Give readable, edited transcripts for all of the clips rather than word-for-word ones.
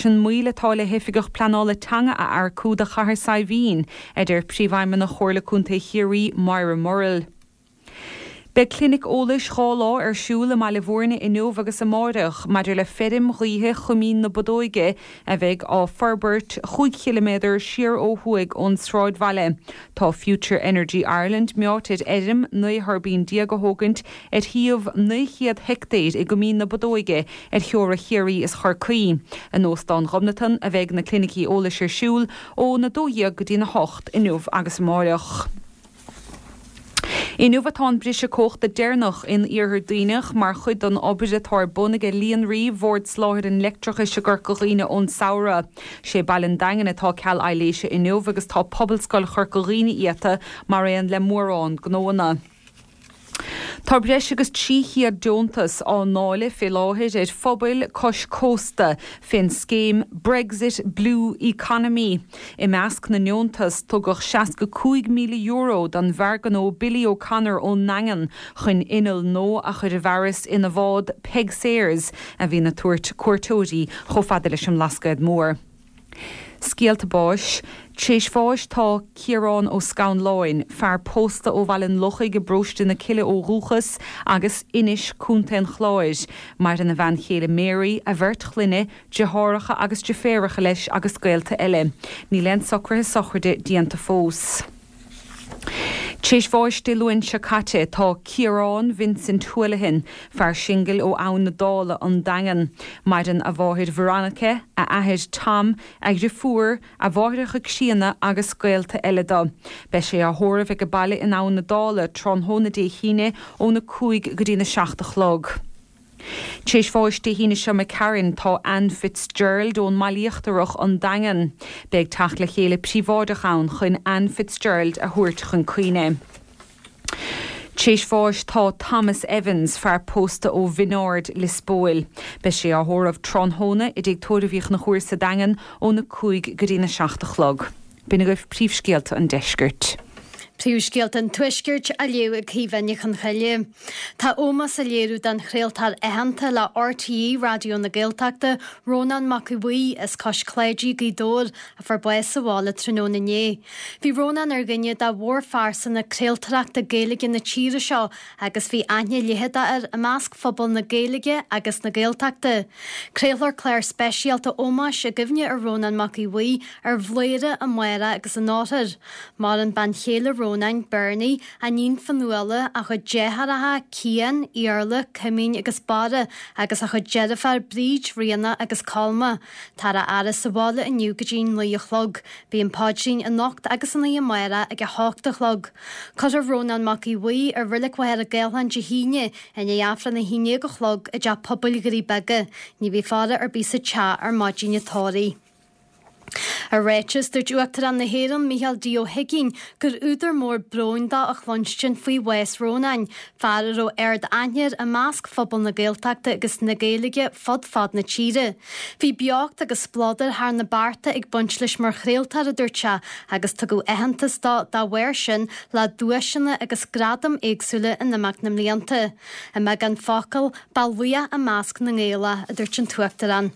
leis an moill atá le hOifigeach Pleanála Teanga a earcú do Chathair Saidhbhín, a deir Príomhfheidhmeannach Chomhairle Contae Chiarraí, Moira Murrell. Beidh clinic eolais 2 lá ar siúl i mBaile Bhúirne inniu agus amáireach maidir le feirm ghaoithe Choimín na Bodóige a bheidh á forbairt chúig chiliméadar siar ó thuaidh ón sráidbhaile. Tá Future Energy Ireland meáite ar fheirm 19 thuirbín a thógaint ar shuíomh 900 heictéir i gCoimín na Bodóige ar theora Chiarraí is Chorcaí. In Óstán Ghobnatan a bheidh na clinicí eolais ar siúl ón 12 go dtí'n 8 inniu agus amáireach. Inniu atá an briseadh cumhachta deireanach in Iarthar Duibhneach mar chuid den obair atá ar bun aige Líonraí Bhord Soláthair an Leictreachais i gCorca Dhuibhne ón samhradh. Sé baile an Daingin atá ceal aibhléise inniu agus tá Pobalscoil Chorca Dhuibhne iata mar aon le mórán gnóanna. Tá breis agus 300 deontas á ndáileadh fé láthair ar phobail cois cósta fén scéim Brexit Blue Economy. I measc na ndeontas, tugadh €65,000 don bhfear gnó Billy O'Connor ón nDaingean chun inneall nua a chur i bhfearas ina bhád Peig Sayers a bhíonn ag tabhairt cuairteoirí chomh fada leis an mBlascaod Mór. Scéalta báis. Tréis bháis tá Ciarán Ó Scanláin, fear pósta ó Bhaile an Lochaigh i bparóiste na Cille ó dhúchas agus Inis, Co. an Chláir. Maireann a bhean chéile Mary, a bheirt chlainne, deartháireacha agus deirféaracha leis agus gaolta eile. Níl aon socruithe sochraide déanta fós. Tréis bháis Dé Luain seo caite tá Ciarán Vincent Houlihan, fear singil ó Abhainn na Dála, An Daingean. Maireann a mháthair Veronica, a athair Tom, a dhriofúr, a mháithreacha críonna agus gaolta eile dó. Beidh sé á thórramh age baile in Abhainn na Dála tráthnóna Dé hAoine óna 5 go dtína 7 a chlog. Tréis bháis Dé hAoine seo imigh tharainn tá Anne Fitzgerald ón mBaile Íochtarach, An Daingean. Beidh teacht le chéile príobháideach ann chun Anne Fitzgerald a thabhairt chun cuimhne. Tréis bháis tá Thomas Evans, fear pósta ó Bhinn Ard, Lios Póil. Beidh sé á thórramh tráthnóna i dTigh Tórraimh Uí Chonchúir sa Daingean óna 5 go dtína 7 a chlog. B'in agaibh príomhscéalta an deiscirt. Príomhscéalta an Tuaiscirt á léamh ag Caoimhe Ní Chonchoille. Tá ómós á léiriú don chraoltóir aitheanta le RTÉ Raidió na Gaeltachta, Rónán Mac Aodha Bhuí, as Cois Cláidí, Gaoth Dobhair, a fuair bás sa bhaile tráthnóna inné. Bhí Rónán ar dhuine de mhórphearsana craoltóireachta Gaeilge na tíre seo agus bhí aithne leitheadach air i measc phobal na Gaeilge agus na Gaeltachta. Craolfar clár speisialta ómóis i gcuimhne ar Rónán Mac Aodha Bhuí ar Bhladhaire amárach agus in oirthear. Maireann bean chéile Rónáin, Bernie, a iníon Fionnuala, a chuid deartháireacha, Cian, Iarla, Cuimín agus Barra, agus a chuid deirféar, Bríd, Ríona agus Colma. Táthar á fhaire sa bhaile inniu go dtí 9 a chlog. Beidh an paidrín anocht agus an oíche amárach ag 8 a chlog. Cuirfear Rónán Mac Aodha Bhuí i Reilig Mhachaire Gathlán Dé hAoine i ndiaidh Aifreann 11 a chlog i dTeach Pobail Dhoirí Beaga. Ní bheidh faire ar bith sa teach ar maidin an tórraimh. I ráiteas, dúirt Uachtarán na hÉireann, Micheál D. Ó hUigínn, gur údar mór bróin dó a chluinstin faoi bhás Rónáin, fear a raibh ard-aithne air i measc phobal na Gaeltachta agus na Gaeilge fud fad na tíre. Bhí beocht agus spleodar thar na bearta ag baint leis mar chraoltóir, a dúirt sé, agus tugadh aitheantas dó dá bharr sin le duaiseanna agus gradaim éagsúla in imeacht na mblianta. I mbeagán focal, ba laoch i measc na nGael é, a dúirt an tUachtarán.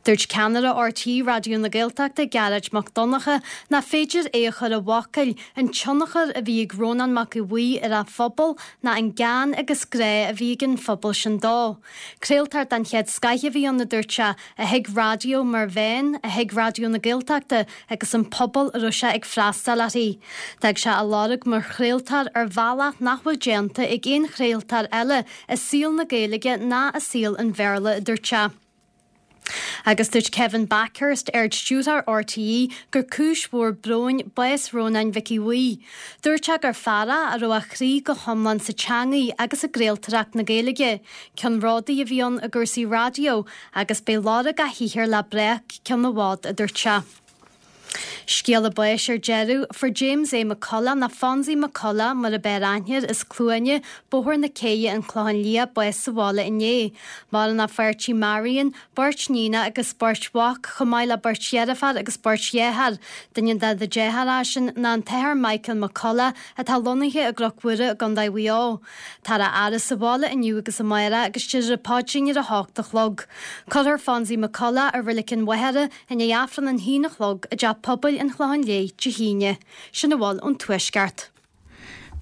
Dúirt ceannaire RTÉ Raidió na Gaeltachta, Gearóid Mac Donncha, nach féidir é a chur i bhfocail, an tionchar a bhí ag Rónán Mac Aodha Bhuí ar a phobal ná an gean agus grá a bhí ag an phobal sin dó. Craoltóir den chéad scoith a bhí ann, a dúirt sé, a thuig raidió mar mheán, a thuig Raidió na Gaeltachta agus an pobal a raibh sé ag freastal uirthi. D'fhág sé a lorg mar chraoltóir ar bhealach nach bhfuil déanta ag aon chraoltóir eile i saol na Gaeilge ná i saol an Bhéarla, a dúirt sé. Agus dúirt Kevin Bakhurst, Ard-Stiúrthóir RTÉ, gur cúis mhór bróin bás Rónáin Mhic Aodha Bhuí. Dúirt sé gur fear é a raibh a chroí go hiomlán sa teangaidh agus i gcraoltóireacht na Gaeilge. Ceannródaí a bhí ann i gcúrsaí raidió agus beidh lorg a shaothair le breac ceann i bhfad, a dúirt sé. Scéala báis ar deireadh, fuair James A. McCullough, nó Fonzie McCullough mar ab fhearr aithne air, as Cluana, Bóthar na Céidhe, An Clochán Liath, bás sa bhaile inné. Maireann a pháirtí Marion, beirt níonacha agus beirt mhac, chomh maith le beirt dheirféar agus beirt dheartháir. Duine de na deartháireacha sin ná an tAthair Michael McCullough atá lonnaithe i gCnoc Mhuire i gContae Mhaigh Eo. Táthar á fhaire sa bhaile inniu agus amárach agus déarfar an paidrín ar a hocht a chlog. Cuirfear Fonzie McCullough i Reilig an Mhachaire i ndiaidh Aifreann an haon a chlog i dTeach Pobail an Chlocháin Léith Dé hAoine. Sin a bhfuil ón Tuaisceart.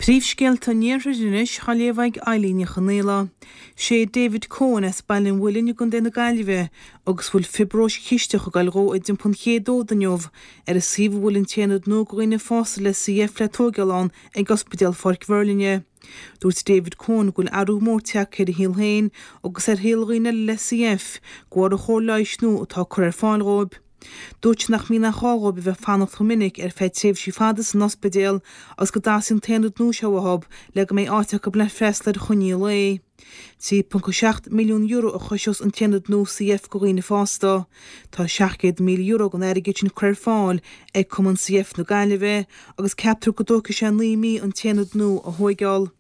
Príomhscéalta an Iarthair anois á léamh ag Eilín Ní Chonaola. Sé David Coen as Baile an Mhuilinn i gContae na Gaillimhe agus a bhfuil fiobróis chisteach ag goil dhó a d'iompaigh an chéad fhód inniu ar an suíomh a bhfuil an t-aonad nua do dhaoine fásta le CF le tóigeáil ann ag Ospidéal Pháirc Mhuirlinne. Dúirt David Coen go bhfuil athrú mór tagtha ar a shaol féin agus ar shaol dhaoine eile le CF de bharr an chóir leighis nua atá curtha ar fáil dhóibh. Dúirt sé nach mbíonn aon chall dhóibh a bheith ag fanacht chomh minic ar feadh tréimhsí fada san ospidéal agus go dteastaíonn an t-aonad nua seo uathu le go mbeidh áit acu le freastal ar choinní lae. €3.7 milliún a chosós an t-aonad nua CF do dhaoine fásta. Tá €700,000 den airgead sin curtha ar fáil ag Cumann CF na Gaillimhe agus ceaptar go dtógfaidh sé 9 mí an t-aonad nua a thóigeáil.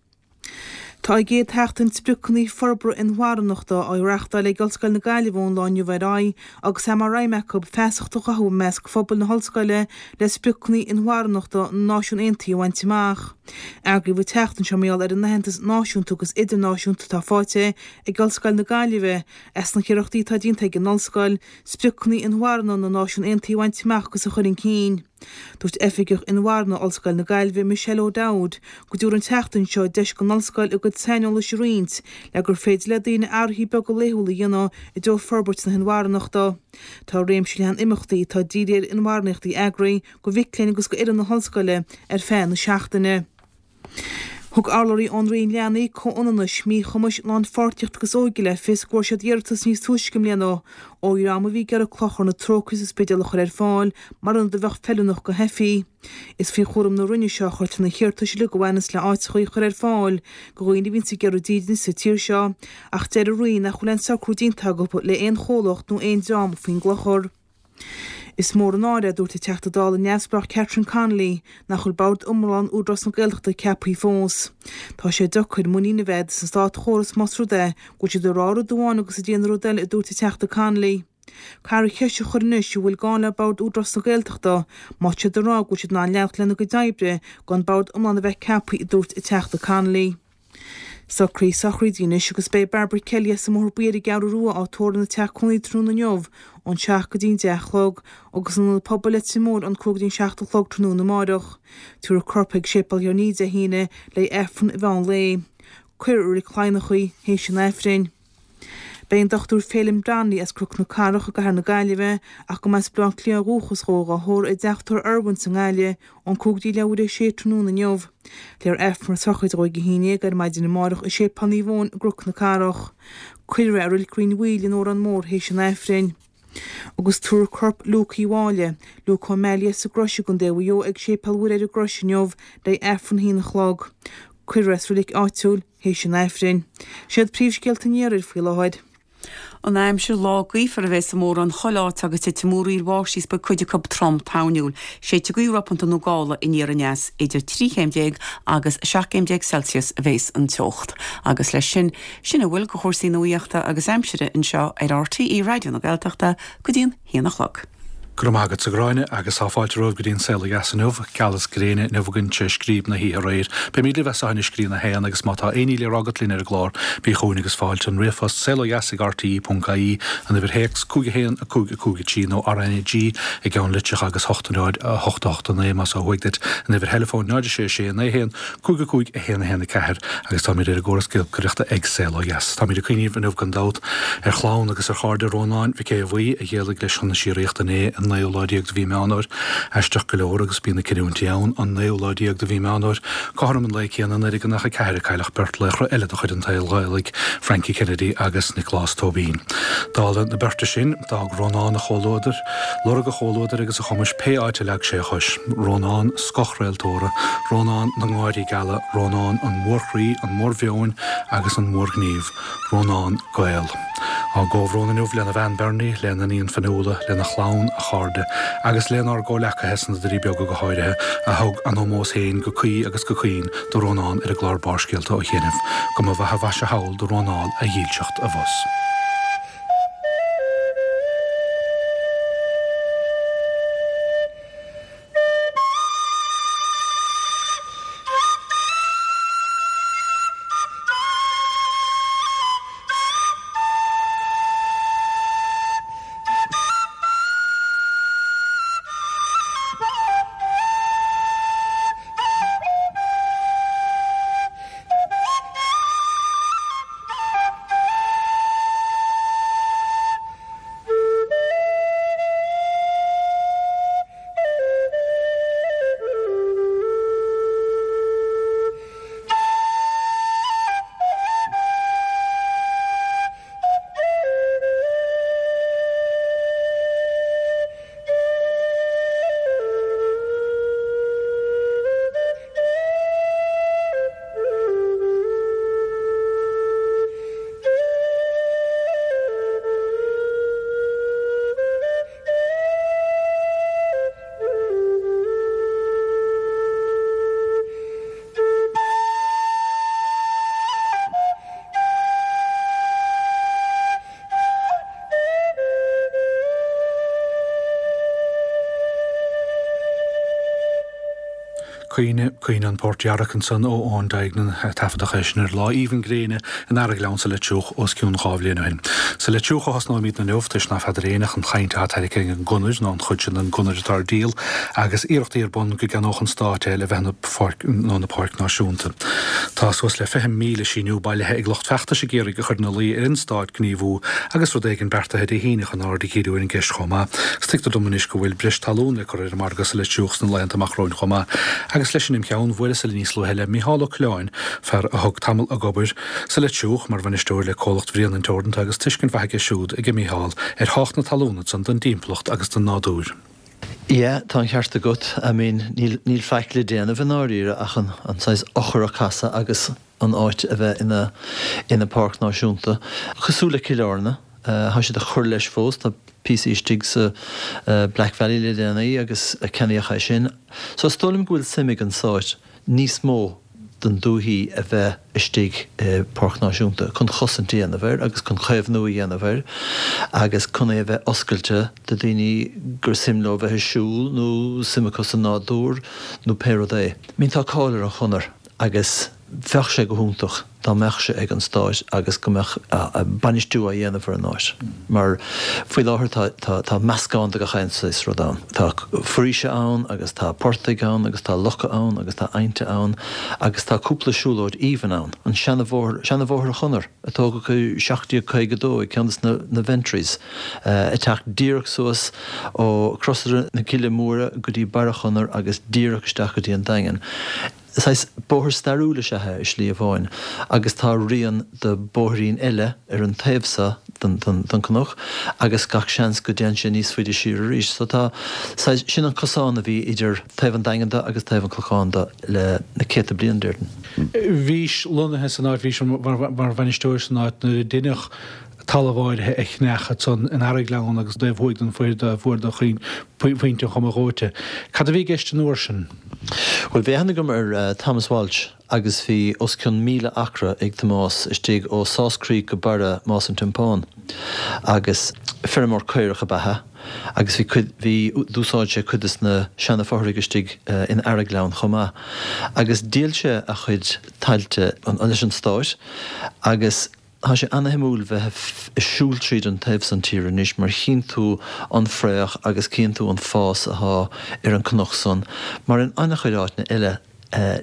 Tá an gcéad Sheachtain Spriocanna Forbartha Inmharthanachta á reáchtáil ag Ollscoil na Gaillimhe ón lá inniu ar aghaidh agus é mar aidhm acu feasacht a chothú i measc phobal na hollscoile le spriocanna inmharthanachta na Náisiún Aontaithe a bhaint amach. Eagraíodh an tseachtain seo mar gheall ar an aitheantas náisiúnta agus idirnáisiúnta atá faighte ag Ollscoil na Gaillimhe as na hiarrachtaí atá déanta ag an ollscoil spriocanna inmharthana na Náisiún Aontaithe a bhaint amach agus a chur chun cinn. Dúirt Oifigeach Inmharthana Ollscoil na Gaillimhe, Michelle O'Dowd, go dtabharfaidh an tseachtain seo deis don ollscoil a gcuid saineolais a roinnt le gur féidir le daoine athruithe beaga laethúla a dhéanamh i dtreo forbairt na hinmharthanachta. Tá réimse leathan imeachtaí atá dírithe ar inmharthanacht eagraithe do mhic léinn agus d'fhoireann na hollscoile ar feadh na seachtaine. Thug urlabhraí ón Roinn Leanaí, Comhionannais, Míchumais, Lánpháirtíochta agus Óige le fios go bhfuair siad iarratas níos túisce i mbliana ó dhream a bhí ag iarraidh Clochar na Trócaire sa Spidéal a chur ar fáil mar ionad a bheadh feiliúnach do theifigh. Is faoi chúram na Roinne seo a chuirtear na hiarratais uilig a bhaineanns le áiteachaí a chur ar fáil do dhaoine a bhíonns ag iarraidh dídine sa tír seo ach deir an Roinn nach bhfuil aon socrú déanta acu le aon chomhlacht nó aon dream faoin gClochar. Is mór an náire, a dúirt an Teachta Dála neamhspleách Catherine Connolly, nach bhfuil bord iomlán Údarás na Gaeltachta ceaptha fós. Tá sé deacair muinín a bheith agat sa státchóras más rud é go bhfuil siad ag rá rud amháin agus ag déanamh rud eile, a dúirt an Teachta Connolly. Caithfear an cheist a chur anois an bhfuil gá le bord Údarás na Gaeltachta má tá siad ag rá go bhfuil siad in ann leanacht lena gcuid oibre gan bord iomlán a bheith ceaptha, a dúirt an Teachta Connolly. Socruithe sochraide anois agus beidh Barbara Kelly as an mBóthar Buí ar an gCeathrú Rua á tórramh ina teach cónaí tráthnóna inniu ón 7 go dtí an 10 a chlog agus in Ionad Pobail Leitir Móir ón 5 go dtí an 7 a chlog tráthnóna amáireach. Tabharfar a corp chuig Séipéal Thír an Fhia Dé hAoine le Aifreann an mheán lae. Cuirfear i Reilig Cladhnach í théis an Aifrinn. Beidh an Dr Féilim Donnelly as Cnoc na Cathrach i gCathair na Gaillimhe, ach go mba as Baile Átha Cliath ó dhúchas dhó, dhá thórramh i dTeach Tórraimh Irwin's i nGaillimh ón 5 go dtí leathuair théis a 6 tráthnóna inniu. Léifear Aifreann na sochraide dhó ag 11 ar maidin amárach i Séipéal Naomh Eoin i gCnoc na Cathrach. Cuirfear é i Reilig Rinn Mhaoile in Órán Mór théis an Aifrinn. Agus tabharfar corp Luke Uí Mháille, Luke Ó Meallaigh as an gCrois i gContae Mhaigh Eo ag Séipéal Mhuire ar an gCrois inniu le Aifreann a haon a chlog. Cuirfear é sa reilig áitiúil théis an Aifrinn. Siad príomhscéalta an iarthair faoi láthair. An aimsir, Lá gaofar a bheas i mórán chuile áit agus titfidh múraíl bháistí is beidh cuid acu trom toirniúil. Séidfidh gaoth ropanta nó gála aniar aneas. Idir 13 chéim agus 17 céim Celsius a bheas an teocht. Agus leis sin, Sin a bhfuil de chúrsaí nuaíochta agus aimsire anseo ar RTÉ Raidió na Gaeltachta go dtí an haon a chlog. Go raibh maith agat, a Ghráinne, agus tá fáilte romhaibh go dtí an Saol Ó Dheas inniu. Gealas gréine inniu againn tré scríob na hoíche aréir. Beimid libh as seo anois go dtí an 1 agus má tá aon ní le rá agat linn ar an gclár, bí chugainn agus fáilte. An ríomhphost, saolodheas ag rte ponc ie, an uimhir théacs, 5 1 5 5 3 nó RnaG i gceann litreach agus 8 0 8 8 9 más ó thuaidh duit, an uimhir theileafóin, 0 6 6 9 1 5 5 1 1 4 agus táimid ar an gcóras giolcaireachta ag Saol Ó Dheas. Táimid ag cuimhneamh inniu gan dabht ar chlann agus ar chairde Rónáin Mhic Aodha Bhuí a d'éalaigh leis chun na síoraíochta inné, an naoú lá déag de mhí Meán Fhómhair. Aisteach go leor agus bíonn na cinniúintí ann, an naoú lá déag de mhí Meán Fhómhair, cothrom an lae céanna i 1994 a cailleadh beirt laochra eile de chuid an tsaoil Ghaelaigh, Frankie Kennedy agus Nioclás Tóibín. Dála na beirte sin, d'fhág Rónán a chomhluadar, lorg a chomhluadair agus a chumais pé áit a leag sé a chois. Rónán scothchraoltóra, Rónán na ngáirí geala, Rónán an mhórchroí, an mhórmheoin agus an mhórghnímh. Rónán Gael. Ár gcomhbhrón inniu lena bhean Bernie, lena iníon Fionnuala, lena chlann, a chairde, agus lenár gcomhleacaithe sna Doirí Beaga go háirithe, a thug a n-ómós féin go cuí agus go caoin do Rónán ar an gclár Barrscéalta ó chianaibh. Go mba mhaith a mhaise thall do Rónán a dhílseacht abhus. Caoineadh, Caoineadh an Port Dhearg ansan ó Eoin Duignan, taifeadadh é sin ar lá aoibhinn gréine in Araghleann sa Leitriúch os cionn 2 bhliain ó shin. Sa Leitriúch a thosnóimíd inniu, toisc ná feadar éinne an chaint atá tarraicthe ag an gConair nó an chuid sin den gConair atá ar díol agus iarrachtaí ar bun go gceannódh an Stát é le bheith ina pháirc nó ina páirc náisiúnta. Tá suas le 20,000 síniú bailithe ag lucht feachtais ag iarraidh a chur ina luí ar an Stát gníomhú agus rud éigin beartaithe Dé hAoine chun aird a dhíriú ar an gceist chomh maith. Agus tuigtear dom anois go bhfuil breis talún le cur ar an margadh sa Leitriúch sna laethanta amach romhainn chomh maith. Agus leis sin im cheann, bhuaileas eile níos luaithe le Micheál Ó Coileáin, fear a thug tamall ag obair sa Leitriúch mar bhainisteoir le Comhlacht Bhréanainn Teoranta agus tuiscint mhaith aige siúd, aige Micheál, ar thábhacht na talún ansan don dtimpeallacht agus don nádúr. Yeah, tá an ceart agat. I mean, níl, níl faic le déanamh i ndáiríre ach an, an saghas eochair a casadh agus an áit a bheith ina, ina páirc náisiúnta. Cosúil le Cill Airne, tá siad ag cur leis fós, tá píosaí istigh sa Black Valley le déanaí agus ceannaíodh é sin. So is dóigh liom go bhfuil suim ag an Stát níos mó den dúthaigh a bheith istigh i bPáirc Náisiúnta chun chosaint a dhéanamh air agus chun caomhnú a dhéanamh air agus chun é a bheith oscailte do daoine gur suim leo bheith ag siúl nó suim acu sa nádúr nó pé rud é. I mean tá cáil ar an Chonair agus bheadh sé go hiontach dá mbeadh sé ag an Stát agus go mbeadh bainistiú á dhéanamh ar an áit mar faoi láthair tá tá tá meascán de gach aon saghas rud ann. Tá foraoise ann agus tá portaigh ann agus tá locha ann agus tá aibhnte ann agus tá cúpla siúlóid aoibhinn ann. An seanabhóthar, seanabhóthar an Chonair a tógadh i 1752 ag ceann de na na Ventrys ag teacht díreach suas ó Crosaire na Cille Móire go dtí Barra Chonair agus díreach isteach go dtí an Daingean. Saghas bóthar stairiúil is ea é i slí amháin agus tá rian de bóithrín eile ar an taobh so den cnoc agus gach seans go dtéann sé níos faide siar arís. So tá saghas, sin an cosán a bhí idir taobh an Daingin de agus taobh an Chlocháin de le na céadta bliain, déarfainn. Bhís lonnaithe san áit, bhís mar bhainisteoir san áit nuair a deineadh talamh áirithe a cheannach ansan in Araghleann agus taobh thuaidh den fuair do Phointe an Choma Dhóite. Cad a bhí i gceist an uair sin? Bhuel, bhí aithne agam ar Thomas Walsh agus bhí os cionn 1,000 acra ag Tomás istigh ó Sauce Creek go barra Más an Tiompáin agus feirmeoir caorach ab ea é agus bhí cuid, bhí, d'úsáid sé cuid des na seana-fothraigh istigh in Araghleann chomh maith agus dhíol sé a chuid tailte leis an Stát agus Tá sé ana-shuimiúil bheith ag siúl tríd an taobh san tíre anois mar chíonn tú an fraoch agus cíonn tú an fás athá ar an cnoc san mar in ana-chuid áiteanna eile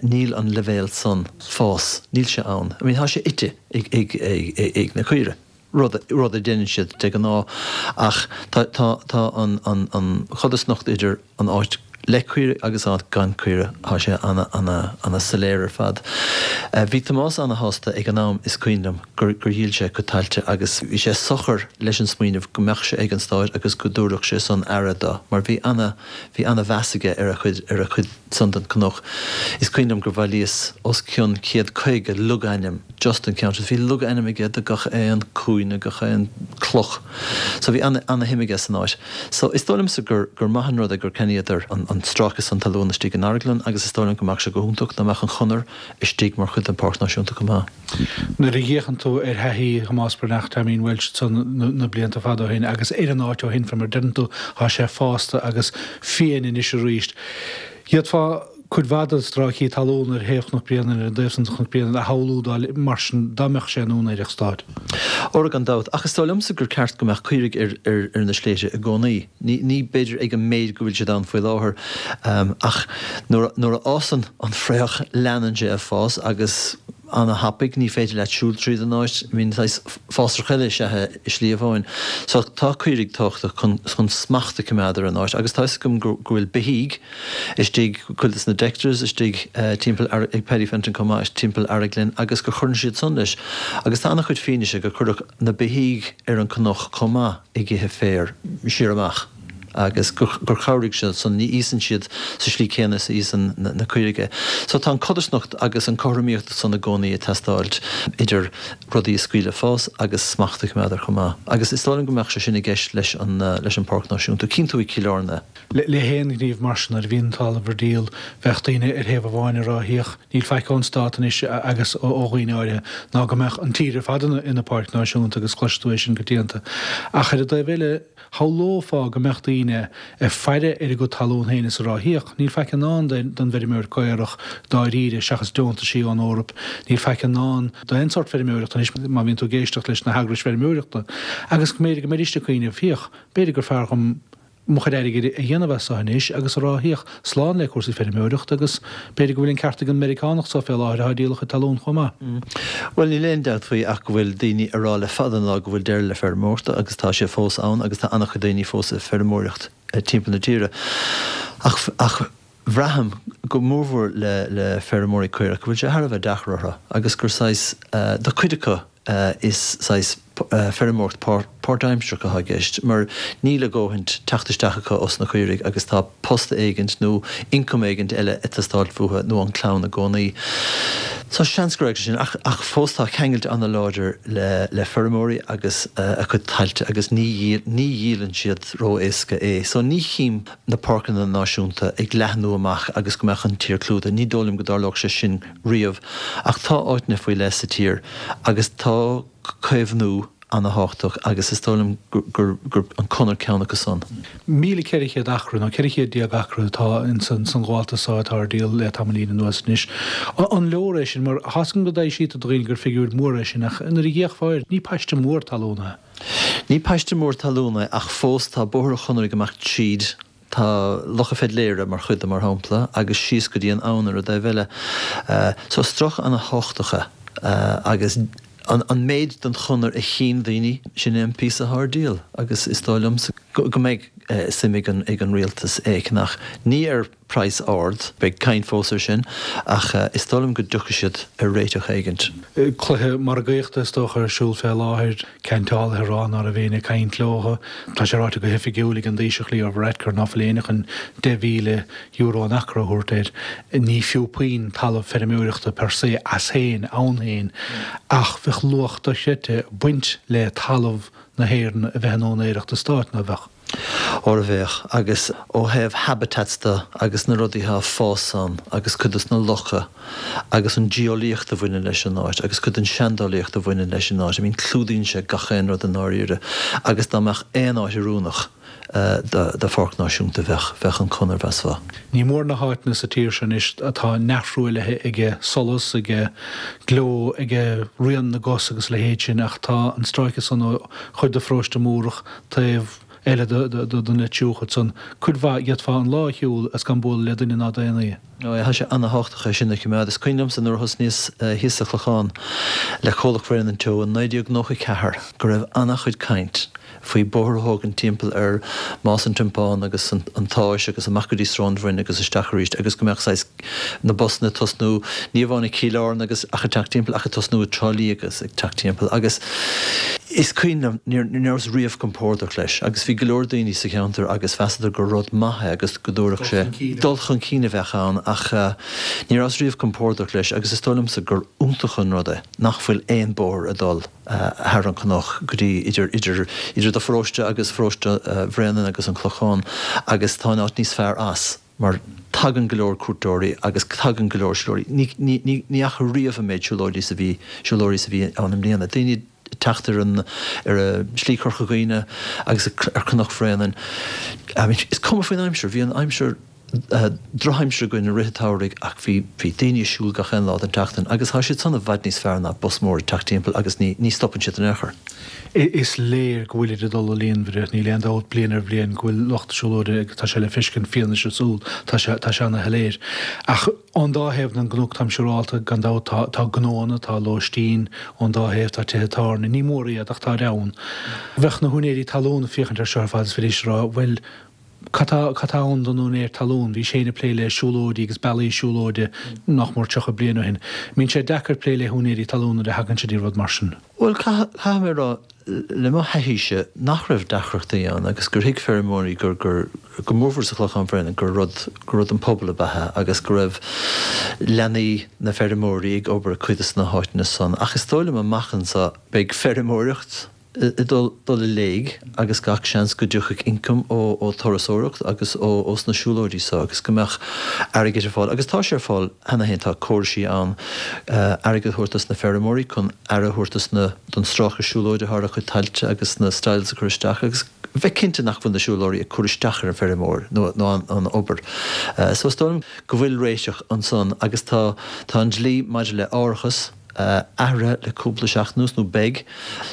níl an leibhéal san fás, níl sé ann. I mean tá sé ite ag ag ag na caoire, rud rud a deineann siad de ghnáth ach tá tá tá an an an chodarsnacht idir an áit. le caoirigh agus áit gan caoirigh, tá sé ana, ana, ana soiléir ar fad. Bhí Tomás ana shásta ag an am, is cuimhin liom, gur, gur dhíol sé a chuid tailte agus bhí sé socair leis an smaoineamh go mbeadh sé ag an stáit agus go dtabharfadh sé san aire do, mar bhí ana, bhí ana mheas aige ar a chuid, ar a chuid san den cnoc. Is cuimhin liom gur bhailíos os cionn 150 logainm just don cheantar. Bhí logainm aige do gach aon cúinne, gach aon cloch. So bhí ana, ana shuim aige san áit. So is dóigh liomsa gur, gur maith an rud é gur ceannaíodar an, an stráice san talún istigh in Araglin agus is dóigh liom go mbeadh sé go hiontach dá mbeadh an chonair istigh mar chuid den Pháirc Náisiúnta chomh maith. Nuair a fhéachann tú ar thaithí Thomás Breathnach, Teaimín Walsh ansan na blianta fada ó shin agus ar an áit ó shin, fé mar a deireann tú, tá sé fásta agus fiáin anois arís. D'fhéadfá cuid mhaith de stráicí talún ar thaobh Chnoc Bréanainn, ar an dtaobh san de Chnoc Bréanainn, a shamhlú dá mar sin dá mbeadh sé in úinéireacht stáit. Óra gan dabht. Ach is dóigh liomsa gur ceart go mbeadh caoirigh ar, ar, ar na sléibhte i gcónaí. Ní, ní b'fhéidir ag an méid go bhfuil siad ann faoi láthair, ach nuair a, nuair a fhásann an fraoch leanann sé ag fás agus ana-thapaidh, ní féidir leat siúl tríd an áit, I mean saghas fásach eile is ea é i Sliabh Eoin. So tá caoirigh tábhachtach chun, chun smacht a choimeád ar an áit agus tá 'fhios agam go, go bhfuil beithígh, istigh, cuid de na Dexters istigh timpeall ag Paddy Fenton chomh maith timpeall Araglin agus gur chuireann siad san leis. Agus tá an-chuid fianaise gur cuireadh na beithígh ar an cnoc chomh maith ag ithe féir siar amach agus gur chabhraigh siad san, ní íosann siad sa slí céanna is a íosann na caoirigh é. So tá an codarsnacht agus an cothromaíocht san i gcónaí ag teastáilt idir rudaí a scaoileadh fás agus smacht a choimeád air chomh maith. Agus is dóigh liom go mbeadh sé sin i gceist leis an leis an Páirc Náisiúnta. Cinntiú i gCill Airne. Le haon ghníomh mar sin, nuair a bhíonn an talamh ar díol, bheadh daoine ar thaobh amháin ag rá, Féach, níl faic ón stát anois agus ó dhaoine áirithe, ná go mbeadh an tír ar fad ina páirc náisiúnta agus cloisfidh tú é sin coitianta. Ach ar an dtaobh eile, shamhlófá go mbeadh daoine ag faire ar a gcuid talún féin is ag rá, Féach, níl faic i ndán don bhfeirmeoir caorach dáiríre seachas deontaisí ón Eoraip, níl faic i ndán d'aon sórt feirmeoireachta anois má bhíonn tú ag éisteacht leis na heagrais feirmeoireachta. Agus go mb'fhéidir go mbeidís ag cuimhneamh, Féach, b'fhéidir gur fearr dhom mo chuid airgid a dhéanamh as so anois agus a rá féach, slán le cúrsaí feirmeoireachta agus b'fhéidir go bhfuil an ceart ag an Meiriceánach so fé láthair atá ag díol a chuid talún chomh maith. Bhuel, níl aon dabht faoi ach go bhfuil daoine a rá le fada an lá go bhfuil deireadh le feirmeoireacht agus tá sé fós ann agus tá an-chuid daoine fós ag feirmeoireacht timpeall na tíre. Ach, ach bhraithim, go mórmhór le, le feirmeoirí caorach, go bhfuil sé thar a bheith deacair orthu agus gur saghas, do chuid acu, Is saghas feirmeoireacht páirtaimsearach atá i gceist mar níl a dhóthain teacht isteach acu os na caoirigh agus tá post éigint nó ioncam éigint eile ag teastáilt uathu nó ón chlann i gcónaí. So seans gur fhág sé sin ach ach fós tá ceangailt an-láidir le le feirmeoirí agus a gcuid tailte agus ní ní dhíolann siad ró-éasca é. So ní chím na páirceanna náisiúnta ag leathnú amach agus go mbeadh an tír clúdaithe. Ní dóigh liom go dtarlódh sé sin riamh, ach tá áiteanna faoi leith sa tír agus tá caomhnú ana-thábhachtach agus is dóigh liom gur gur an conair ceann acu san. 1,400 acra nó 1400 acra atá ins an ghabháltas so atá ar díol le tamaillín anuas anois. An leor é sin? Mar tá's agam go dtaibhsítear do dhaoine gur figiúir mór é sin ach nuair a d'fhéachfá air, ní paiste mór talún é. Ní paiste mór talún é ach fós tá Bóthar an Chonaire ag imeacht tríd Tá Loch an Pheidléara mar chuid de, mar shampla, agus síos go dtí an abhainn ar an dtaobh eile. So stráice ana-thábhachtach é agus an méid den chonair a chinn daoine, sin é an píosa atá ar díol agus is dóigh liomsa go mbeidh suim ag an rialtas é a cheannach. Ní ar praghas ard, beidh caint fós ar sin, ach is dóigh liom go dtiocfaidh siad ar réiteach éigint. Cluiche margaíochta is dócha ar siúl fé láthair. Ceantálaithe ag rá ná raibh éinne ag caint leo. Tá sé ráite go hoifigiúil ag an Taoiseach Leo Varadkar ná fuil éinne chun €10,000 an acra a thabhairt air. Ní fiú puinn talamh feirmeoireachta per se as féin, ann féin, ach bheadh luach dochreidte ag baint le talamh na hÉireann a bheith in úinéireacht an stáit, ná beadh? Óra bheadh, agus ó thaobh habitats de agus na rudaí atá ag fás ann agus cuid dos na locha agus an geolaíocht a bhaineann leis an áit agus cuid den seandálaíocht a bhaineann leis an áit, I mean clúdaíonn sé gach aon rud i ndáiríre agus dá mbeadh aon áit oiriúnach do pháirc náisiúnta bheadh, bheadh an Chonair mheasfá. Ní mór na háiteanna sa tír seo anois atá neamhthruaillithe ag solas, ag gleo, ag rian na gcos agus a leithéid sin ach tá an stráice san ó chuid de Pharóiste Múrach taobh eile den Leitriúch ansan, cuid mhaith, d'fhéadfá an lá a shiúl is gan bualadh le duine ná daonaí. Ó, tá sé ana-thábhachtach é sin a choimeád. Is cuimhin liomsa nuair a thosnaíos thíos sa Chlochán le Comhlacht Bhréanainn Teo in 1994 go raibh ana-chuid caint. faoi bóthar a thógaint timpeall ar Más an Tiompáin agus an tSáis agus amach go dtí Srón Bhroin agus isteach arís agus go mbeadh saghas na busanna ag tosnú ní amháin ag Cill Airne agus ach ag teacht timpeall ach ag tosnú i dTrá Lí agus ag teacht timpeall agus is cuimhin liom ní rabhas riamh compordach leis agus bhí go leor daoine sa cheantar agus mheasadar gur rud maith é agus go dtabharfadh sé dul chun cinn a bheadh ann ach ní rabhas riamh compordach leis agus is dóigh liomsa gur iontach an rud é nach bhfuil aon bóthar ag dul thar an cnoc go dtí idir idir idir do pharóiste agus pharóiste Bhréanainn agus an Clochán agus tá an áit níos fearr as mar tagann go leor cuairteoirí agus tagann go leor siúlóirí. Ní ní ní ní fhaca riamh an méid siúlóidí is a bhí siúlóirí is a bhí ann i mbliana. Daoine ag teacht ar an ar Shlí Chorca Dhuibhne agus ar Chnoc Bhréanainn. I mean is cuma faoin aimsir, bhí an aimsir drochaimsir againn i rith an tsamhraidh ach bhí bhí daoine ag siúl gach aon lá den tseachtain agus tá siad san i bhfad níos fearr ná bus mór ag teacht timpeall agus ní ní stopann siad in aon chor. Is léir go bhfuilid ag dul i líonmhaire, níl aon dabht bliain ar bhliain go bhfuil lucht siúlóide agus tá sé le feiscint, fianaise súl, tá sé tá sé ana-shoiléir. Ach ón dá thaobh den gcnoc táim siúrálta gan dabht tá tá gnóanna, tá lóistín ón dá thaobh, tá tithe tábhairne, ní mór iad ach táid ann. Bheadh na húinéirí talún ag féachaint ar seo ar fad is bheidís ag rá bhuel, Cad tá, cad tá ann don úinéir talún? Bhís féin ag plé le siúlóidí agus bealaí siúlóide nach mór 30 bliain ó shin. Mbíonn sé deacair plé le húinéirí talún nuair a thagann sé dtí rud mar sin? Bhuel, caithfidh mé a rá, le mo thaithíse, nach raibh deacrachtaí ann agus gur thuig feirmeoirí gur, gur, go mórmhór sa Chlochán Bhréanainn, gur rud, gur rud don phobal ab ea é agus go raibh leanaí na bhfeirmeoirí ag obair i cuid de na háiteanna san. Ach is dóigh liom amach anseo beidh feirmeoireacht, ag dul i léig agus gach seans go dtiocfaidh ioncam ó turasóireacht agus ó sna siúlóidí so agus go mbeadh airgead ar fáil agus tá sé ar fáil cheana féin, tá córaisí ann airgead a thabhairt dos na feirmeoirí chun aire a thabhairt dos na, don stráice siúlóide thar a gcuid tailte agus na stiles a chur isteach agus bheith cinnte nach bhfuil na siúlóirí ag cur isteach ar an bhfeirmeoir nó an obair. So is dóigh liom go bhfuil réiteach ansan agus tá, tá an dlí maidir le árachas, athraithe le cúpla seachtain anuas, nó beidh.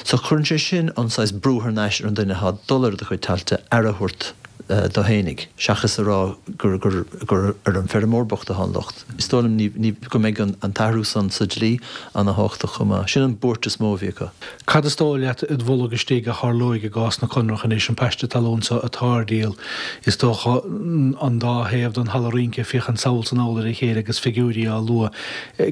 So cuireann sé sin an saghas brú thar n-ais ar an duine atá ag dul ar do chuid tailte aire a thabhairt dó fhéinig, seachas a rá gur gur gur ar an bhfeirmeoir bocht atá an locht. Is dóigh liom ní ní go mbeidh an an t-athrú san sa dlí ana-thábhachtach chomh maith. Sin an buairt is mó a bhí acu. Cad is dóigh leat id bholg istigh a tharlóidh i gcás na Conrach anois, an paiste talún so atá ar díol? Is dócha an dá thaobh den halla rince ag féachaint sall 's anall ar a chéile agus figiúirí á lua.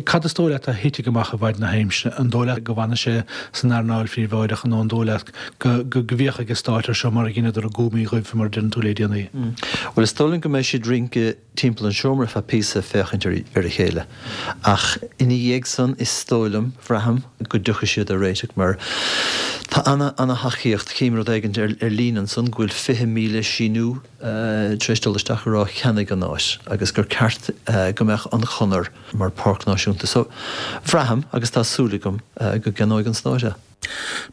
Cad is dóigh leat a thitfidh amach i bhfaid na haimsire? An dóigh leat go bhfanfaidh sé san earnáil phríobháideach nó an dóigh leat go go bhféachfaidh an Stát air seo mar a dheineadar i gCúm Uí Dhuibh, mar a deireann tú le déanaí? Bhuel, is dóigh liom go mbeidh siad ag rince timpeall an seomra ar feadh píosa ag féachaint ar a chéile. Ach ina dhiaidh san, is dóigh liom, bhraithim, go dtiocfaidh siad ar réiteach mar tá ana, ana-thacaíocht. Chím rud éigin ar líne ansan go bhfuil 20,000 síniú tar éis dul isteach ag rá ceannaigh an áit agus gur ceart go mbeadh an chonair mar pháirc náisiúnta. So, bhraithim agus tá súil agam go gceannóidh an Stát é.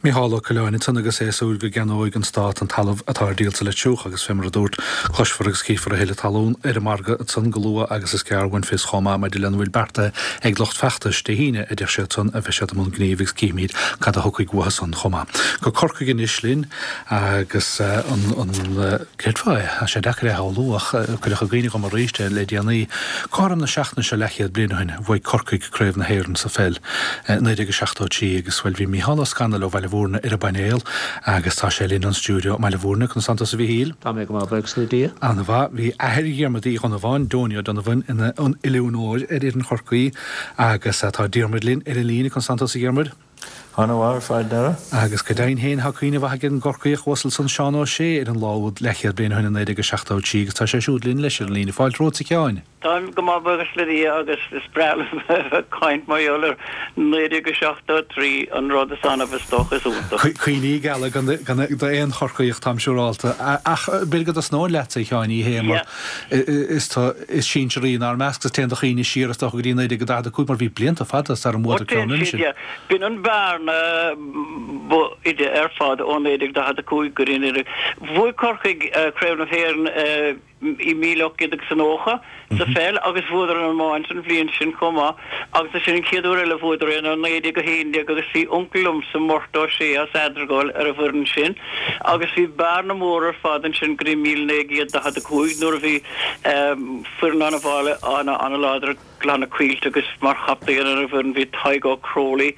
Mícheál Ó Coileáin ansan agus é ag súil go gceannóidh an Stát an talamh atá ar díol sa Leitriúch agus fé mar a dúrt, cloisfear agus cífear a thuilleadh talún ar an margadh ansan go luath agus is gearr uainn fios chomh maith maidir lena bhfuil beartaithe ag lucht feachtais Dé hAoine a deir siad san a bheidh siad i mbun gnímh agus cífimid cad a thiocfaidh uathu san chomh maith. Go Corcaigh anois linn agus an. Creidfeá é, tá sé deacair é a shamhlú ach cuireadh i gcuimhne dhom arís é le déanaí. Cothrom na seachtaine seo leathchéad bliain ó shin, bhuaigh Corcaigh Craobh na hÉireann sa pheil i 1973 agus, bhuel, bhí Mícheál Ó Scanaill ó Bhaile Bhúirne ar an bpainéal agus tá sé linn ón stiúideo i mBaile Bhúirne. Conas tánn tusa a Mhíchíl? Tá mé go maith, buíochas le Dia. An-mhaith. Bhí athair Dhiarmuid Uí Dhonnabháin, Donie O'Donovan, ina oiliúnóir ar fhoireann Chorcaí agus tá Diarmuid linn ar an líne. Conas tánn tusa a Dhiarmuid? Ana-mhaith ar fad, Dara. Agus go deimhin féin, tá cuimhne mhaith ag an gCorcaíoch uasal san Seán Ó Sé ar an lá úd leathchéad bliain ó shin i 1973 agus tá sé siúd linn leis ar an líne. Fáilte romhat a Sheáin. Táim go maith buíochas le Dia agus is breá liom a bheith ag caint mar gheall ar 1973, an rud is annamh is dócha is iontach. Cuimhní geala d'aon Chorcaíoch táim siúrálta. Ach b'fhéidir go dtosnóinn leatsa a Sheáin, ní hé mar is tú is sinsearaí inár measc agus téann do chuimhne siar is dócha go dtí 1945 mar bhí blianta fada sara mbuadar ceann roimhe sin. B'in an bhearna ba fhaide ar fad ó 1945 go dtí 19. Bhuaigh Corcaigh Craobh na hÉireann i 1890 sa pheil agus bhuadar an iomáint an bhliain sin chomh maith agus ansin an chéad uair eile a bhuadar é ná 1911 agus bhí uncail liomsa, Murt Ó Sé as Eadragáil ar an bhfoireann sin agus bhí bearna mhór ar fad ansin go dtí 1945 nuair a bhí foireann an-mhaith ana-láidir. gClanna Caoilte agus mar chaptaen ar an bhfoireann bhí Tadhg O'Crowley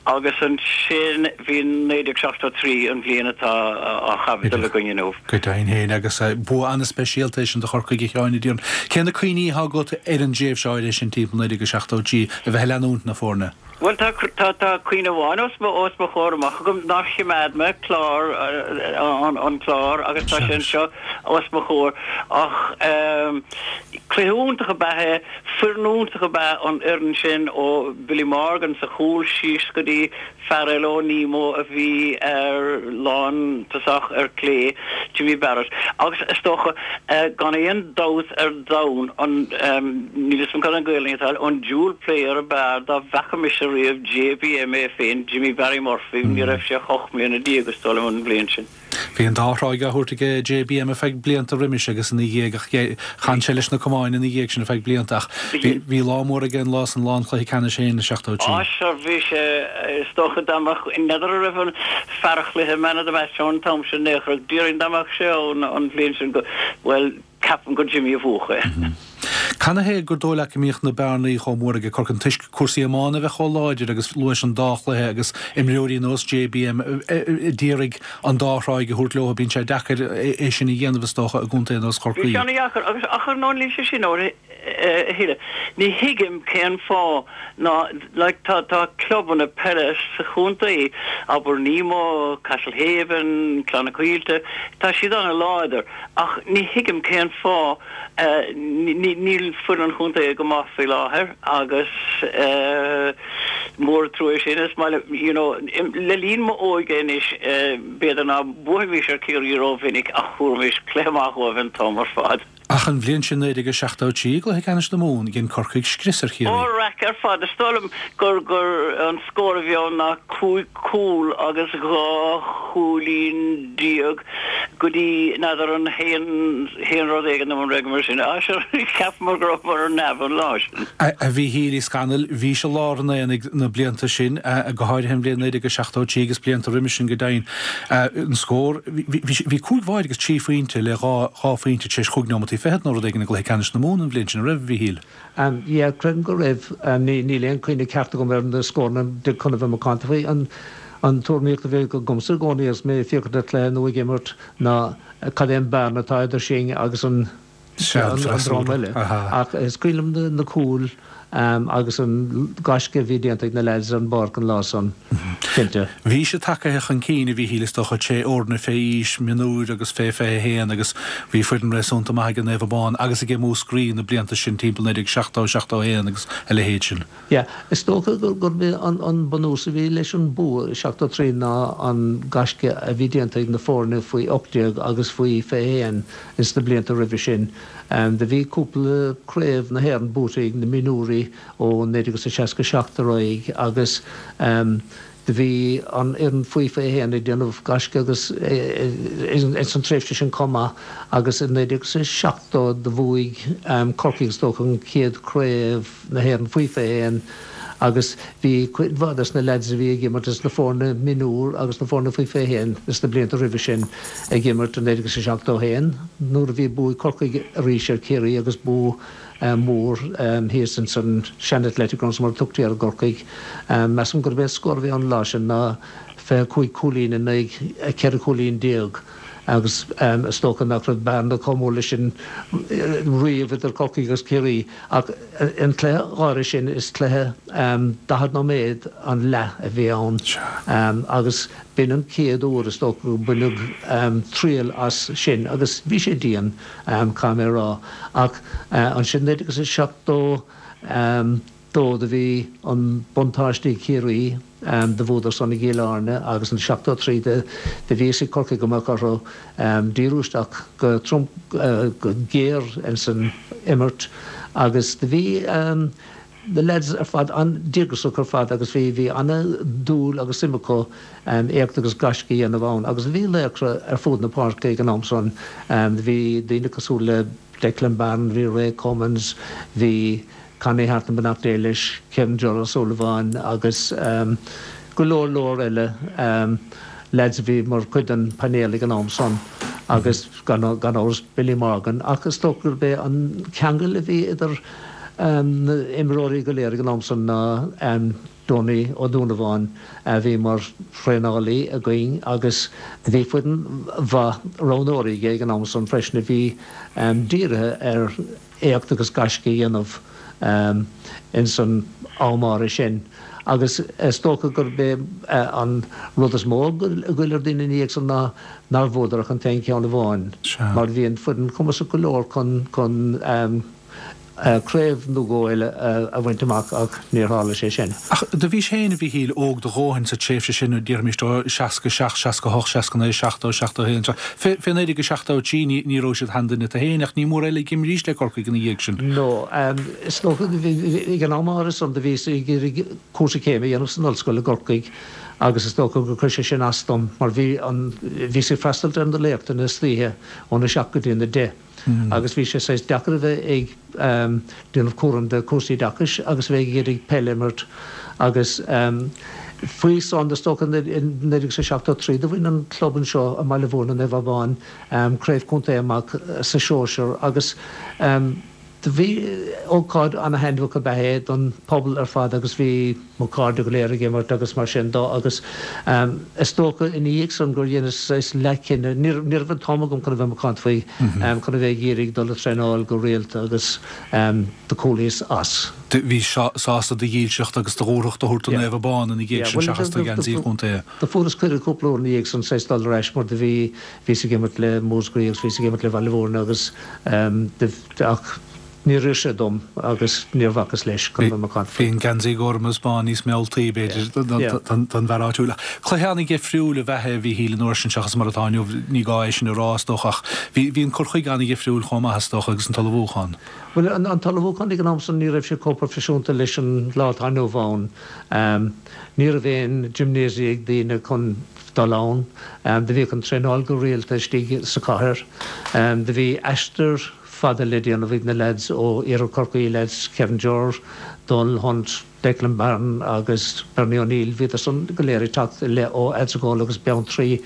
agus ansin bhí 1973 an bhliain atá á chaibidil againn inniu. Go deimhin féin agus bua an-speisialta é sin do Chorcaigh a Sheáin a déarfainn. Cé na cuimhní atá agat ar an dtréimhse áirithe sin timpeall 1973 a bheith ag leanúint na foirne? Bhuel, tá, tá, tá cuimhne amháin os mo, os mo chomhair amach agam nár choimeád mé clár, an, an clár agus tá sé anseo os mo chomhair. Ach ehm, cluiche iontach ab ea é, foireann iontach ab ea an fhoireann sin ó Billy Morgan sa chúl síos go dtí fear eile ó Nemo a bhí ar lántosach ar clé, Jimmy Barrett. Agus is dócha, gan aon dabht ar domhan, an, níl 'fhios a'm cad an Gaelainn atá air, an dual player ab fhearr dá bhfaca mise riamh, JBM é féin, Jimmy Barry Murphy, ní raibh sé ach 18 mbliana is dóigh liom an bhliain sin. Bhí an dá thráigh á thabhairt aige JBM ar feadh blianta roimis agus ina dhiaidh ach chan sé leis na camáin ina dhiaidh sin ar feadh blianta ach bhí lá mór aige an lá san, lá an chluiche ceannais féin i 73. Á sure bhí sé, is dócha dá mbeadh, n'fheadar an raibh an fear an chluiche man of the match ann an t-am sin in aon chor ach déarfainn dá mbeadh sé ann an bhliain sin go, bhuel, Ceapaim gur Jimmy a bhuafadh é. Canathaobh gur dóigh leat go mbíodh na bearnaí chomh mór ag Corcaigh? Toisc cúrsaí iomána a bheith chomh láidir agus luais an dá chluiche agus imreoirí nós JBM a d'iarraidh an dá thráigh a thabhairt leo. Bíonn sé deacair é sin a dhéanamh is dócha i gcontae nós Chorcaí. Bhí sé ana-dheacair agus ach ar ndóigh níl sé sin a thuilleadh. Ní thuigim cén fáth ná like tá tá clubanna peile sa chontae, abair Nemo, Castlehaven, Clanna Caoilte, tá siad ana-láidir. Ach ní thuigim cén fáth níl foireann an chontae go maith faoi láthair agus mór an trua é sin. Is maith liom, you know, le linn m'óige anois, b'fhéidir ná buafaimís ar Ciarraí rómhinic ach thabharfaimis cluiche maith dhóibh an t-am ar fad. Ach an bhliain sin 1973 i gcluiche ceannais na Mumhan, dhein Corcaigh scrios ar Chiarraí. Ó, raic ar fad. Is dóigh liom gur gur an scór a bhí ann ná 5 cúl agus 12 chúilín go dtí, n'fheadar, an haon haon rud éigin nó an raibh mar sin. Á, sure, cheapamar go rabhamar ar neamh an lá sin. A Mhíchíl Uí Scanaill, bhís i lár an aonaigh na blianta sin, go háirithe an bhliain 1973 agus blianta roimis sin go deimhin. An scór, bhí cúig bháide agus trí phointe le dhá phointe tar éis chúig neomataí fichead nó rud éigin i gcluiche ceannais na Mumhan an bhliain sin, an raibh, a Mhíchíl? Yeah, creidim go raibh. Níl aon chuimhne ceart agam ar na scóranna dtig chun a bheith macánta faoi. An tuairimíocht a bhíodh agamsa i gcónaí agus mé ag féachaint ar chluiche nó ag imirt ná cad é an bearna atá idir sinn agus an an dream eile. Ach is cuimhin liom na cúil agus an gaisce a bhí déanta ag na leaids ar an bpáirc an lá san, cinnte. Bhí siad tagaithe chun cinn, a Mhíchíl, is dócha, tré fhoirne fé aois, mionúir agus fé 21 agus bhí foireann réasúnta maith ag Naomh Abán agus ag Múscraí na blianta sin timpeall 1970, 71 agus a leithéid sin. Yeah, is dócha gurb é an bunús a bhí leis an bua i 73 ná an gaisce a bhí déanta ag na foirne faoi 18 agus faoi 21 ins na blianta roimhe sin. Do bhí cúpla craobh na hÉireann buaite ag na mionúirí ó 1967 ar aghaidh agus do bhí an fhoireann faoi 21 ag déanamh gaisce agus ins an tréimhse sin chomh maith agus i 1970 do bhuaigh Corcaigh is dócha an chéad chraobh na hÉireann faoi 21 agus bhí cuid mhaith des na leaids a bhí ag imirt ins na foirne mionúr agus na foirne faoi 21 ins na blianta roimhe sin ag imirt i 1971 nuair a bhí bua ag Corcaigh arís ar Chiarraí agus bua mór thíos ins an sean Athletic Grounds mar a tugtaí air i gCorcaigh. Measaim gurb é an scór a bhí ann an lá sin ná 25 cúilín in aghaidh 14 cúilín. Agus is dócha nach raibh bearna chomh mór leis sin riamh idir Corcaigh agus Ciarraí. Ach an cluiche áirithe sin, is cluiche 40 nóiméad an leath a bhí ann agus b'in an chéad uair is dócha go baineadh triail as sin agus bhí sé dian, caithfidh mé a rá. Ach ansin 1972 do bhí an buntáiste ag Ciarraí. Do bhuadar san i gCill Airne agus in 73 do bhí fhios ag Corcaigh go mbeadh orthu díriú isteach go trom go géar ins an imirt agus do bhí na leaids ar fad an-díograiseach ar fad agus bhí bhí ana-dhúil agus suim acu éacht agus gaisce a dhéanamh ann agus bhí laochra ar fud na páirce ag an am san. Bhí daoine cosúil le Declan Barron, bhí Ray Cummins, bhí Connie Harton, beannacht Dé leis, Kevin Joe O'Sullivan agus go leor leor eile leaids a bhí mar chuid den painéal ag an am san agus gan amhras Billy Morgan ach is dócha gurb é an ceangal a bhí idir. na imreoirí go léir ag an am san ná Donie Ó Dúnabháin a bhí mar thraenálaí againn agus bhí foireann mhaith roghnóirí aige ag an am san freisin a bhí dírithe ar éacht agus gaisce a dhéanamh ins an am áirithe sin agus is dócha gurb é an rud is mó a ghoill ar daoine ina dhiaidh san ná nár bhuadar ach an t-aon cheann amháin mar bhí an foireann cumasach go leor chun craobh nó dhó eile a bhaint amach ach níor tharla sé sin. Ach do bhís féin, a Mhíchíl, óg do dhóthain sa tréimhse sin, déarfaimis 67, 68, 69, 70, 71, fé 1973 ní raibh siad sheanduine tu féin ach ní mór eile ag imrís le Corcaigh ina dhiaidh sin. No, is dócha, ag an am áirithe san do bhíos ag iarraidh cúrsa céime a dhéanamh san ollscoil i gCorcaigh agus is dócha gur chuir sé sin as dom mar bhí an, bhíos ag freastalt ar na léachtanna istoíche óna seacht go dtí na deich. agus bhí sé saghas deacair a bheith ag déanamh cúram de cúrsaí oideachais agus a bheith ag iarraidh peil a imirt agus faoi san is dócha in 1973 do bhain an club anseo i mBaile Mhúirne, Naomh Abán, craobh contae amach sa sóisear agus do bhí ócáid ana-thaitneamhach ab ea é don pobal ar fad agus bhí mo chairde go léir ag imirt agus mar sin do agus is dócha ina dhiaidh san gur dheineas saghas leathchinneadh, ní raibh an t-am agam chun a bheith macánta faoi, chun a bheith ag iarraidh dul ag traenáil go rialta agus do chúlaíos as. Bhís sásta do dhílseacht agus do dhúthracht a thabhairt do Naomh Abán ina dhiaidh sin seachas do gheansaí an chontae. Do fuaireas cuireadh cúpla uair ina dhiaidh san saghas dul ar ais mar do bhí, bhíos ag imirt le Múscraí agus bhíos ag imirt le Baile Mhúirne agus ach Níor oir sé dom agus níor bhacas leis chun bheith macánta faoi. Bhí an geansaí gorm is bán níos mealltaí, b'fhéidir, don bhfear áitiúil. Ach cluiche an-dhifriúil ab ea é a Mhíchíl an uair sin seachas mar atá inniu. Ní gá é sin a rá, is dócha, ach bhí an cur chuige an-dhifriúil chomh maith, is dócha, agus an t-ullmhúchán. Bhuel, an t-ullmhúchán ag an am san, ní raibh sé chomh proifisiúnta leis an lá atá inniu ann. Ní raibh aon gymnasium ag daoine chun dul ann. Do bhíodh an traenáil go rialta istigh sa chathair. Do bhí aistear fada le déanamh ag na leaids ó Iarthar Chorcaí, leaids Kevin Jerr, Donal Hunt, Declan Barron agus Bernie O'Neill, bhíodar san go léir ag teacht i leith ó Eadragól agus Beanntraí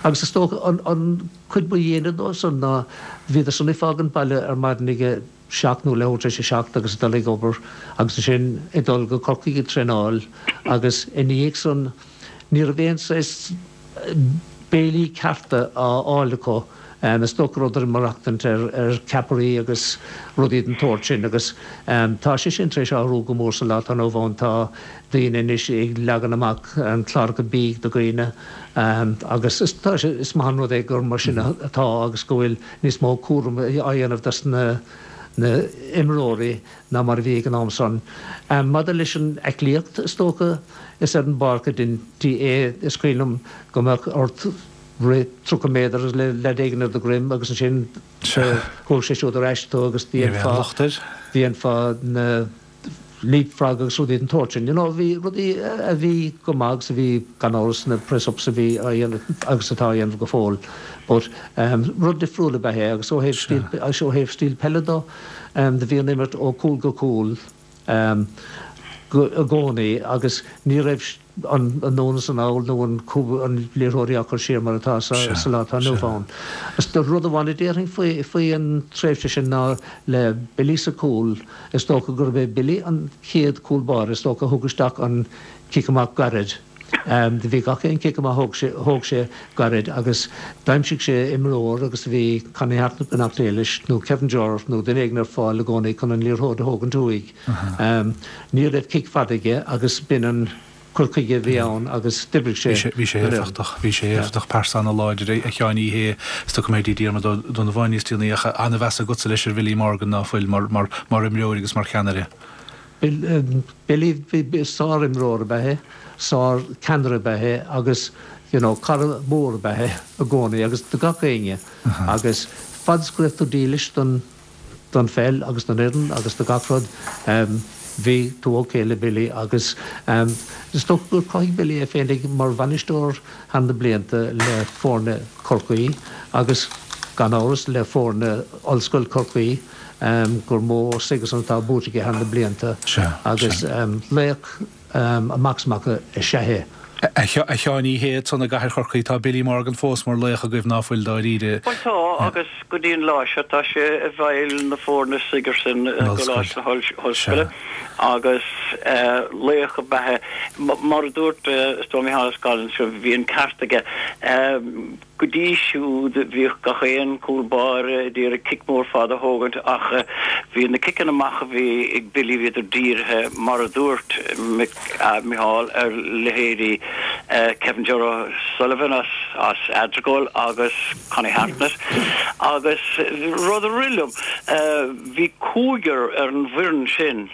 agus is dócha an an cuid ba dhéine dó san ná bhíodar san ag fágaint baile ar maidin ag a seacht nó leathuair tar éis a seacht agus ag dul ag obair agus ansin ag dul go Corcaigh ag traenáil agus ina dhiaidh san ní raibh aon saghas béilí cearta á fháil acu. Is dócha go rabhadar ag maireachtaint ar ceapairí agus rudaí den tsórt sin agus tá sé sin tar éis athrú go mór sa lá atá inniu ann. Tá daoine anois ag leagan amach cláracha bídh do dhaoine agus is is maith an rud é gur mar sin atá agus go bhfuil níos mó cúram á dhéanamh dos na imreoirí ná mar a bhí ag an am san. Maidir leis an aclaíocht, is dócha, is ar an bpáirc a deintí é. Is cuimhin liom go mbeadh ort rith 30 méadar le leaid éigin ar do dhroim agus ansin thóg sé siúd ar ais tú agus dhéanfá, dhéanfá na leapfrog agus rudaí den tsórt sin. You know, bhí rudaí a bhí go maith agus a bhí gan amhras na press-ups a bhí á dhéanamh agus atá á dhéanamh go fóill. But rud difriúil ab ea é agus ó thaobh stíl, ó thaobh stíl peile do, Do bhí an imirt ó chúl go cúl i gcónaí agus ní raibh an anonn is anall nó an liathróidí á cur siar mar atá sa lá atá inniu ann. Rud amháin a déarfainn faoi an tréimhse sin ná le Billy sa chúl, is dócha gurb é Billy an chéad chúl báire is dócha a thug isteach an cic amach gairid. Do bhí gach aon chic amach a thóg sé gairid agus d'aimsigh sé imreoir agus do bhí Connie Hartnett beannacht Dé leis nó Kevin Jerr nó duine éigin ar fáil i gcónaí chun an liathróid a thógaint uaidh. Ní raibh cic fada aige agus b'in an cur chuige a bhí ann agus d'oibrigh sé. Bhí sé éifeachtach. Bhí sé éifeachtach. Pearsa ana-láidir a Sheáin ní hé is dócha go mbeidh Diarmuid Ó Donnabháin níos déanaí ach an-mheas agatsa leis ar Bhilly Morgan ná fuil mar imreoir agus mar cheannaire. Billy, sár-imreoir ab ea é, sár-cheannaire ab ea é agus you know cara mór ab ea é i gcónaí agus do gach éinne agus fad is go raibh tú dílis don don pheil agus don fhoireann agus do gach rud bhí tú ok le Billy agus is dócha gur chruthaigh Billy é féinig mar bhainisteoir thar na blianta le foirne Chorcaí agus gan amhras le foirne Ollscoil Chorcaí. gur mó chucusan atá buaite aige thar na blianta agus laoch amach is amach is ea é. A Sheáin Uí Shé, ansan i gcathair Chorcaí, tá Billy Morgan fós mar laoch agaibh, ná fuil, dáiríre? Bhuel tá, agus go dtí an lá seo tá sé i bhfeighil na foirne Sigerson i gColáiste na hOllscoile agus laoch ab ea é. Mar a dúirt is dóigh Micheál Ó Scanláin anseo, bhí an ceart aige. Go dtí siúd bhíodh gach aon chúl báire ag iarraidh cic mór fada a thógaint ach bhí na ciceanna amach a bhí ag Billy bhíodar dírithe mar a dúirt Micheál ar leithéidí Kevin Ger O'Sullivan as as Eardragóil agus Connie Hartnett agus rud a rith liom bhí cúigear ar an bhfoireann sin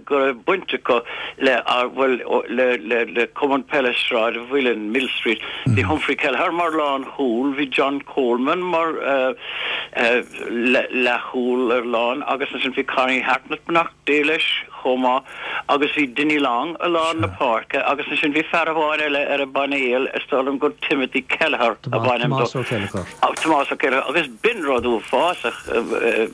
go raibh baint acu le, bhuel, le, le Cumann Peile Sráid an Mhuilinn, Millstreet. Bhí Humphrey Kelleher mar lánchúl, bhí John Coleman mar leathchúl ar lán agus ansin bhí Connie Hartnett, beannacht Dé leis, chomh maith agus bhí Dinny Long i lár na páirce agus ansin bhí fear amháin eile ar an bpainéal, is dóigh liom gur Timothy Kelleher ab ainm dó. Tomás Ó Céilleachair. Tomás Ó Céilleachair agus b'in rud uafásach.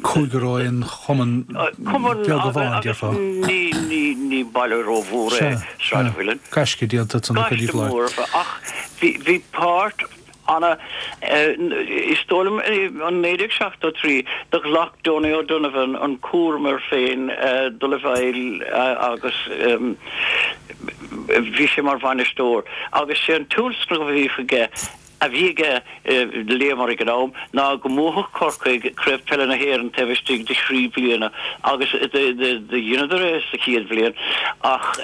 Cúigear ó aon chumann beag amháin, déarfá. Ní, ní, ní baile rómhór é Sráid an Mhuilinn. Gaisce déanta ansan ag Gaisce mór ach bhí, bhí páirt ana, is dóigh liom in 1973 do ghlac Donie O'Donovan an cúram air féin dul i bhfeighil agus bhí sé mar bhainisteoir agus sé an tionscnamh a bhí aige a bhí aige, léamar ag an am, ná go mbuafadh Corcaigh Craobh Peile na hÉireann taobh istigh de thrí bliana agus do dheineadar é sa chéad bhliain ach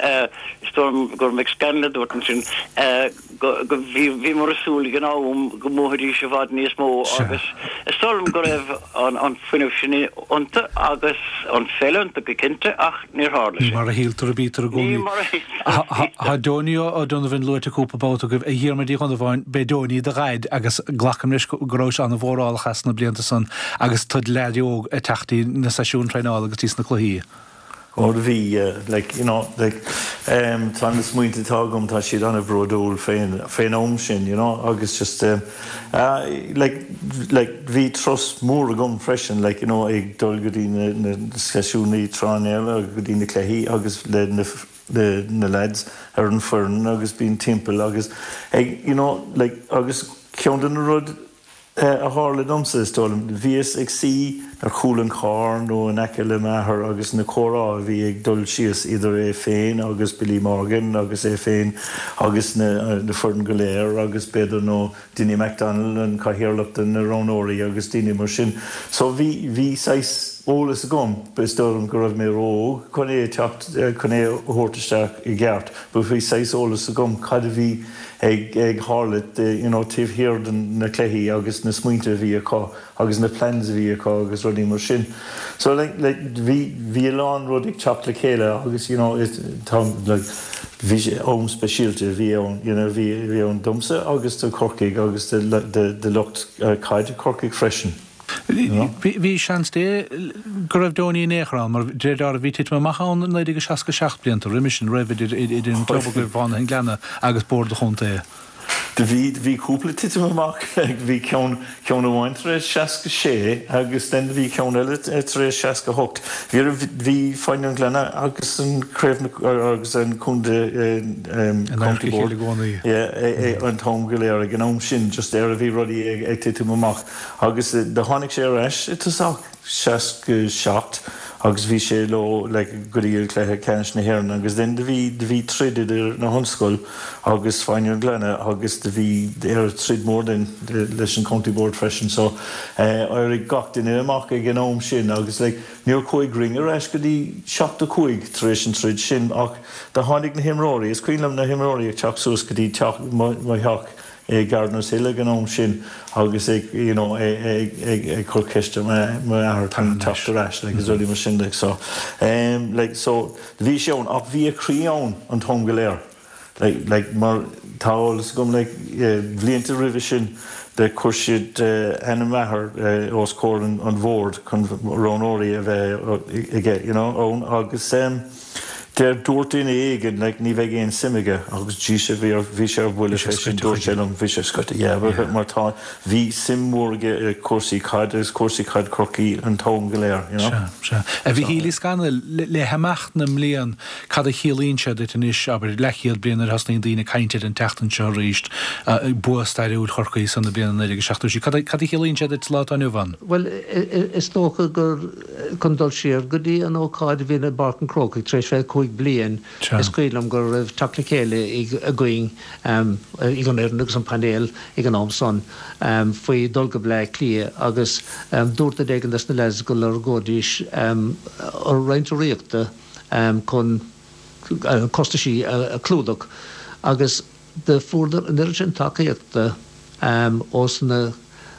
is dóigh liom gur Mick Scanlon a dúirt ansin go bhí bhíomar ag súil ag an am go mbuafaidís i bhfad níos mó agus is dóigh liom go raibh an fuinneamh sin iontu agus an pheil iontu go cinnte ach níor tharla sé. Ní mar a shíltear a bítear i gcónaí. Ní mar a shíltear a bítear. Tá Donie O'Donovan luaite cúpla babhta agaibh. A Dhiarmuid Uí Dhonnabháin, b'é Donie do dhaid agus glacaim leis go rabhais an-mhórálach as na blianta san agus tú id leaid óg ag teacht dtí na seisiúin traenála agus dtí na cluichí. Ó do bhí, yeah, like, you know, like, em, tá na smaointe atá agam, tá siad an-bhródúil fén, fén am sin, you know, agus just, em, ah, like, like, bhí trust mór agam freisin, like, you know, ag dul go dtí na, na seisiúnaí traenála agus go dtí na cluichí agus le na, le na lads ar an foireann agus bíonn timpeall agus ag, you know, like, agus ceann de na rud, a tharla domsa, is dóigh liom. Bhíos ag suí ar chúl an chairr nó in aice le m'athair agus na comhrá a bhí ag dul síos idir é féin agus Billy Morgan agus é féin agus na foireann go léir agus b'fhéidir nó Dinny McDonnell, an cathaoirleach de na roghnóirí agus daoine mar sin. So bhí, bhí saghas eolas agam, is dóigh liom go raibh mé ró-óg chun é a teacht, chun é a thabhairt isteach i gceart but bhí saghas eolas agam cad a bhí ag ag tharlú you know taobh thiar de na cluichí agus na smaointe a bhí acu agus na plans a bhí acu agus rudaí mar sin. So like like bhí bhí a lán rud ag teacht le chéile agus you know it tá like bhí sé am speisialta a bhí ann you know bhí bhí ann domsa agus do Chorcaigh agus do do do lucht caide Chorcaigh freisin. Bhí seans Dé go raibh Donie in aon chor ann, mar de réir dealraimh bhí titim amach ann i 1967, blianta roimhe sin, roimh idir idir an club agaibh, Fánaithe an Ghleanna, agus Bord an Chontae. Do bhí, bhí cúpla titim amach, bhí ceann, ceann amháin tar éis 66 agus then bhí ceann eile tar éis 68. Bhí, bhí Fánaithe an Ghleanna agus an craobh na, agus an contae, County Board, yeah, an t-am go léir ag an am sin, just ar a bhí rudaí ag titim amach. Agus do tháinig sé ar ais i tosach 67 agus bhí sé leo like go dtí an cluiche ceannais na hÉireann agus then do bhí do bhí troid idir na hOllscoil agus Fánaithe an Ghleanna agus do bhí ar troid mór then leis an County Board freisin so eh éirigh gach duine amach ag an am sin agus like níor chuaigh Ring ar ais go dtí 75 tar éis an troid sin ach do tháinig na himreoirí is cuimhin liom na himreoirí ag teacht suas go dtí teach mo mo theach i Gardiners Hill ag an am sin agus ag you know ag ag cur ceist ar m'athair chun teacht ar ais like is rudaí mar sin like so um like so bhí sé ann ach bhí a chroí ann an t-am go léir like like mar tá eolas agam like bhlianta roimhe sin de chuir siad ainm m'athar os comhair an an bhoird chun roghnóirí a bheith aige you know ann agus um. Deir, dúirt duine éigin, like, ní bheidh aon suim aige agus Jesus bhí ar, bhí sé ar buile fé sin, dúirt sé liom, bhí sé scoite, yeah, mar tá, bhí suim mhór aige i cúrsaí caide agus cúrsaí caid Chorcaí an t-am go léir, you know. Sea, sea. A Mhichíl Uí Scanaill, le, le himeacht na mblian, cad a chiallaíonn sé duit anois, abair, leathchéad bliain nuair a thosnaíonn daoine ag caint air an tseachtain seo arís, bua stairiúil Chorcaí san na bliana 1976, cad a, cad a chiallaíonn sé duit sa lá atá inniu ann? Bhuel, is dócha gur. Chun dul siar go dtí an ócáid a bhí i bPáirc an Chrócaigh tar éis 25 bliain, is cuimhin liom go raibh teacht le chéile againn, ag an fhoireann agus an painéal ag an am san, faoi dhul go Bleá Cliath agus dúirt duine éigin des na leaids go lorgóidís roinnt urraíochta chun costaisí a chlúdach agus Do fuaireadar an oiread sin tacaíochta ós na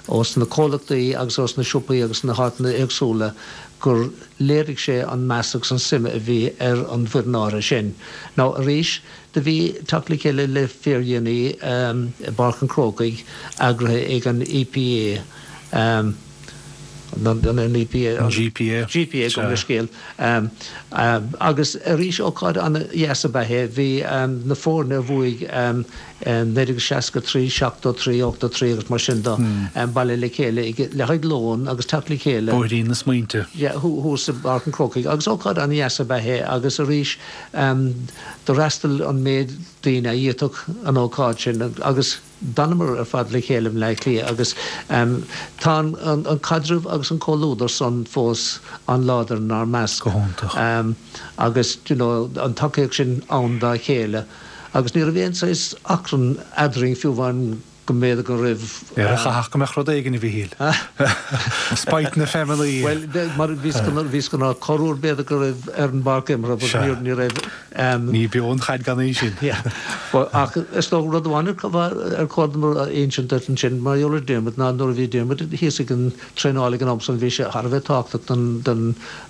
ós na comhlachtaí agus ós na siopaí agus na háiteanna éagsúla gur léirigh sé an meas agus an suim a bhí ar an bhfoireann áirithe sin. Now arís, do bhí teacht le chéile le fíordhéanaí i bPáirc an Chrócaigh eagraithe ag an EPA, an EPA, an GPA, GPA gabh mo leithscéal. Agus arís ócáid an-dheas ab ea é. Bhí na foirne a bhuaigh 1963, 73, 83 agus mar sin de bailithe le chéile le haghaidh lón agus teacht le chéile. Bóithrín na smaointe. Yeah, thuas i bPáirc an Chrócaigh. Agus ócáid an-dheas ab ea é agus arís d'fhreastail an méid daoine a d'fhéadfadh an ócáid sin agus D'fhanamar ar fad le chéile i mBleá Cliath agus tá an caidreamh agus an comhluadar san fós an-láidir inár measc. Go hiontach. Agus you know an tacaíocht sin ann dá chéile agus ní raibh aon saghas achrann eadrainn fiú amháin go mb'fhéidir go raibh. Ar a chaithfeadh go mbeadh rud éigin a Mhichíl. Spite na feamallaí. Bhuel mar bhíos bhíos go corruair b'fhéidir go raibh ar an bpáirc imeartha but ní raibh. Ní beo an chaid gan í sin. Ach is dócha rud amháin ar chóir dom a insint duit ansin mar gheall ar Diarmuid ná nuair a bhí Diarmuid thíos ag an traenáil ag an am san bhí sé thar a bheith tábhachtach don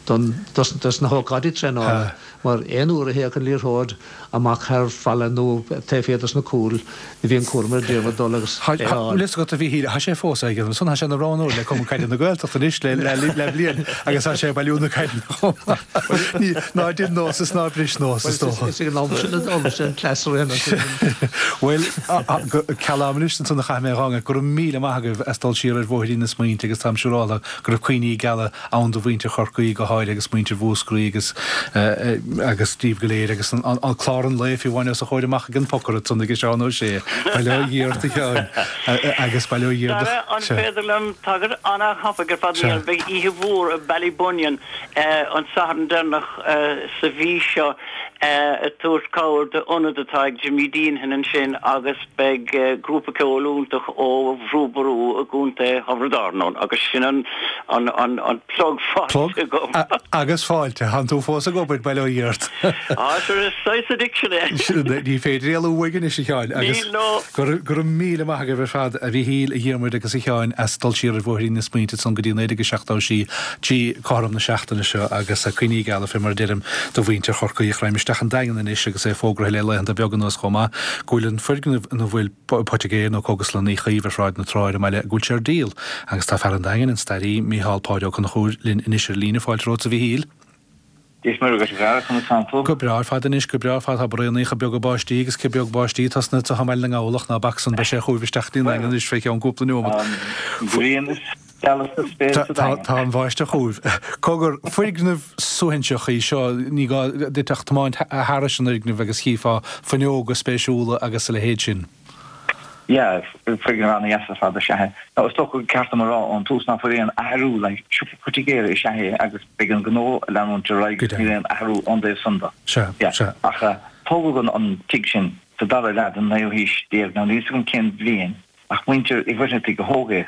don dos na hócáidí traenála mar aon uair a théadh an liathróid amach thar falla nó taobh thiar dos na cúil bhí an cúram ar Diarmuid dul agus é a fháil. Bhfuil fhios agat a Mhichíl, tá sé fós ag déanamh san, tá sé ina roghnóir le Cumann Caide na Gaeltachta anois le le bliain agus tá sé ag bailiú na caideanna chomh maith. Ní, ná dein nós is ná bris nós, is dócha. Is ag an am sin a d'fhoghlaim sé an cleas ar aon nós. Bhuel, ceal ama anois ansan a chaithfidh mé a dh'fhágáil. Go raibh míle maith agaibh as dul siar ar bhóithrín na smaointe agus táim siúráltha go raibh cuimhní geala ann do mhuintir Chorcaí go háirithe agus muintir Mhúscraí agus agus daoibh go léir agus an clár an lae fiú amháin os a chomhair amach ag an pocaire ansan ag Seán Ó Sé. Bail ó Dhia ort a Sheáin agus bail ó Dhia ort. Dara, an féidir liom tagairt an-thapaidh ar fad a dhéanamh? Beidh oíche mhór i Ballybunion an Satharn deireanach sa mhí seo ag tabhairt cabhair d'ionad atá ag Jimmy Deenihan ansin agus Beidh grúpa ceoil iontach ó Bhrú Ború i gContae Thiobraid Árann ann agus sin an an plug faighte agam. Plug agus fáilte. Tánn tú fós ag obair, bail ó Dhia ort. Á, sure, is saghas addiction é. Ní féidir éalú uaidh anois, a Sheáin. Níl, no. Go raibh míle maith agaibh ar fad, a Mhichíl, a Dhiarmuid agus a Sheáin, as dul siar ar bhóithrín na smaointe ansan go dtí 1976 trí cothrom na seachtaine seo agus cuimhní geala, fé mar a deirim, do mhuintir Chorcaí. Raghaim isteach an Daingean anois agus é fógraithe le laethanta beaga anuas chomh maith go bhfuil an foirgneamh ina bhfuil poitigéir nó cógaslann Uí Chaoimh ar Shráid na Trá ar an mbaile, go bhfuil sé ar díol. Agus tá fear an Daingin, an staraí, Mícheál Páid Ó Conchúir, linn anois ar líne. Fáilte romhat, a Mhichíl. Dia is Muire dhuit, a Dhara, conas tánn tú? Go breá ar fad anois, go breá ar fad. Tá braonaíocha beaga báistí agus cioth beag báistí tosnaithe anseo i mBaile na nGall ach ná bac san, beidh sé chugaibh isteach go dtí an Daingean anois fé cheann cúpla neomat. An ghrian is geala sa spéir sa Daingean. Tá an bháisteach chugaibh. Cogar, foirgneamh suaithinseach í seo, ní gá duit ach tiomáint thairis an fhoirgneamh agus chífeá fuinneoga spéisiúla agus a leithéid sin. Yeah, foirgneamh an-dheas ar fad is ea é. Now, is dócha gur ceart dom a rá ón tús ná fuil aon athrú, like, siopa poitigéara is ea é agus beidh an gnó ag leanúint ar aghaidh agus níl aon athrú ón dtaobh san de. Sea, Yeah. sea. Ach tógadh an, an tigh sin sa dara leath den naoú haois déag, now níl 'fhios agam cén bhliain, ach muintir Uí Mhuircheartaigh a thóg é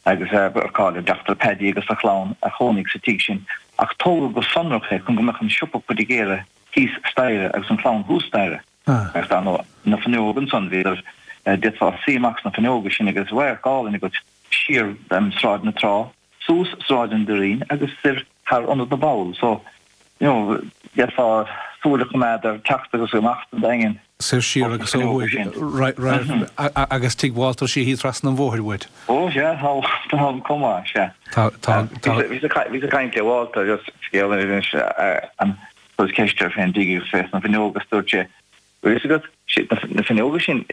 agus ar cáil ar Dr. Paddy agus a chlann a chónaigh sa tigh sin ach tógadh go sonrach é chun go mbeadh an siopa poitigéara thíos staighre agus an chlann thuas staighre. Agus dar ndóigh, na fuinneoga ansan, bhíodar, d'fhéadfá suí amach sna fuinneoga sin agus radharc álainn agat siar Sráid na Trá, suas Sráid an Doirín agus soir thar Ionad na bPoll. So, you know, d'fhéadfá súil a choimeád ar teacht agus imeacht an Daingin Soir siar ós na agus ó fuinneoga thuaidh, sin. right, agus tigh Walter Sheehy trasna an bhóthair uait. Ó, sea, tá Walter ann chomh maith, sea. Tá, tá, tá. Bhíos ag caint le Walter, just scéal anois, an. Chuireas ceist air fén dtigh agus fés na fuinneoga agus dúirt sé, Bhfuil fhios agat, na fuinneoga sin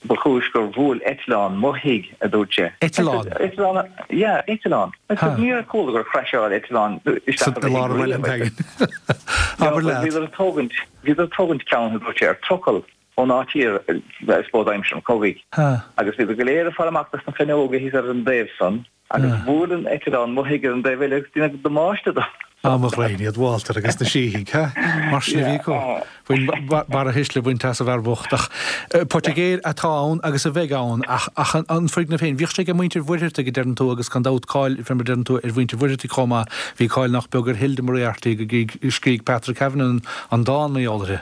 ba chúis gur bhuail eitleán mo thigh, a dúirt sé. Eitleán? Eitleán, yeah, eitleán. Níor chuala gur chraiseáil eitleán isteach i do thigh riamh. Abair leat. Bhíodar ag tógaint, bhíodar ag tógaint ceann, a dúirt sé, ar trucail ón áit thiar, I suppose aimsir an chogaidh. Agus bhíodar go léir ag fáil amach des na fuinneoga thíos ar an dtaobh san. Agus bhuail an eitleán mo thigh ar an dtaobh eile agus deineadh damáiste dom. Á mo ghraidhin iad Walter agus na síthigh, ha? Mar sin a bhí acu. Bhain barra thuisle a bhaint as an bhfear bocht. Ach poitigéir atá ann agus a bheidh ann ach ach an foirgneamh féin, bhíodh sé ag muintir Mhuircheartaigh a deireann tú agus gan dabht cáil, fé mar a deireann tú, ar mhuintir Mhuircheartaigh chomh maith. Bhí cáil nach beag ar Hilda Moriarty go dtí scrígh Patrick Kavanagh an dán mar gheall uirthi.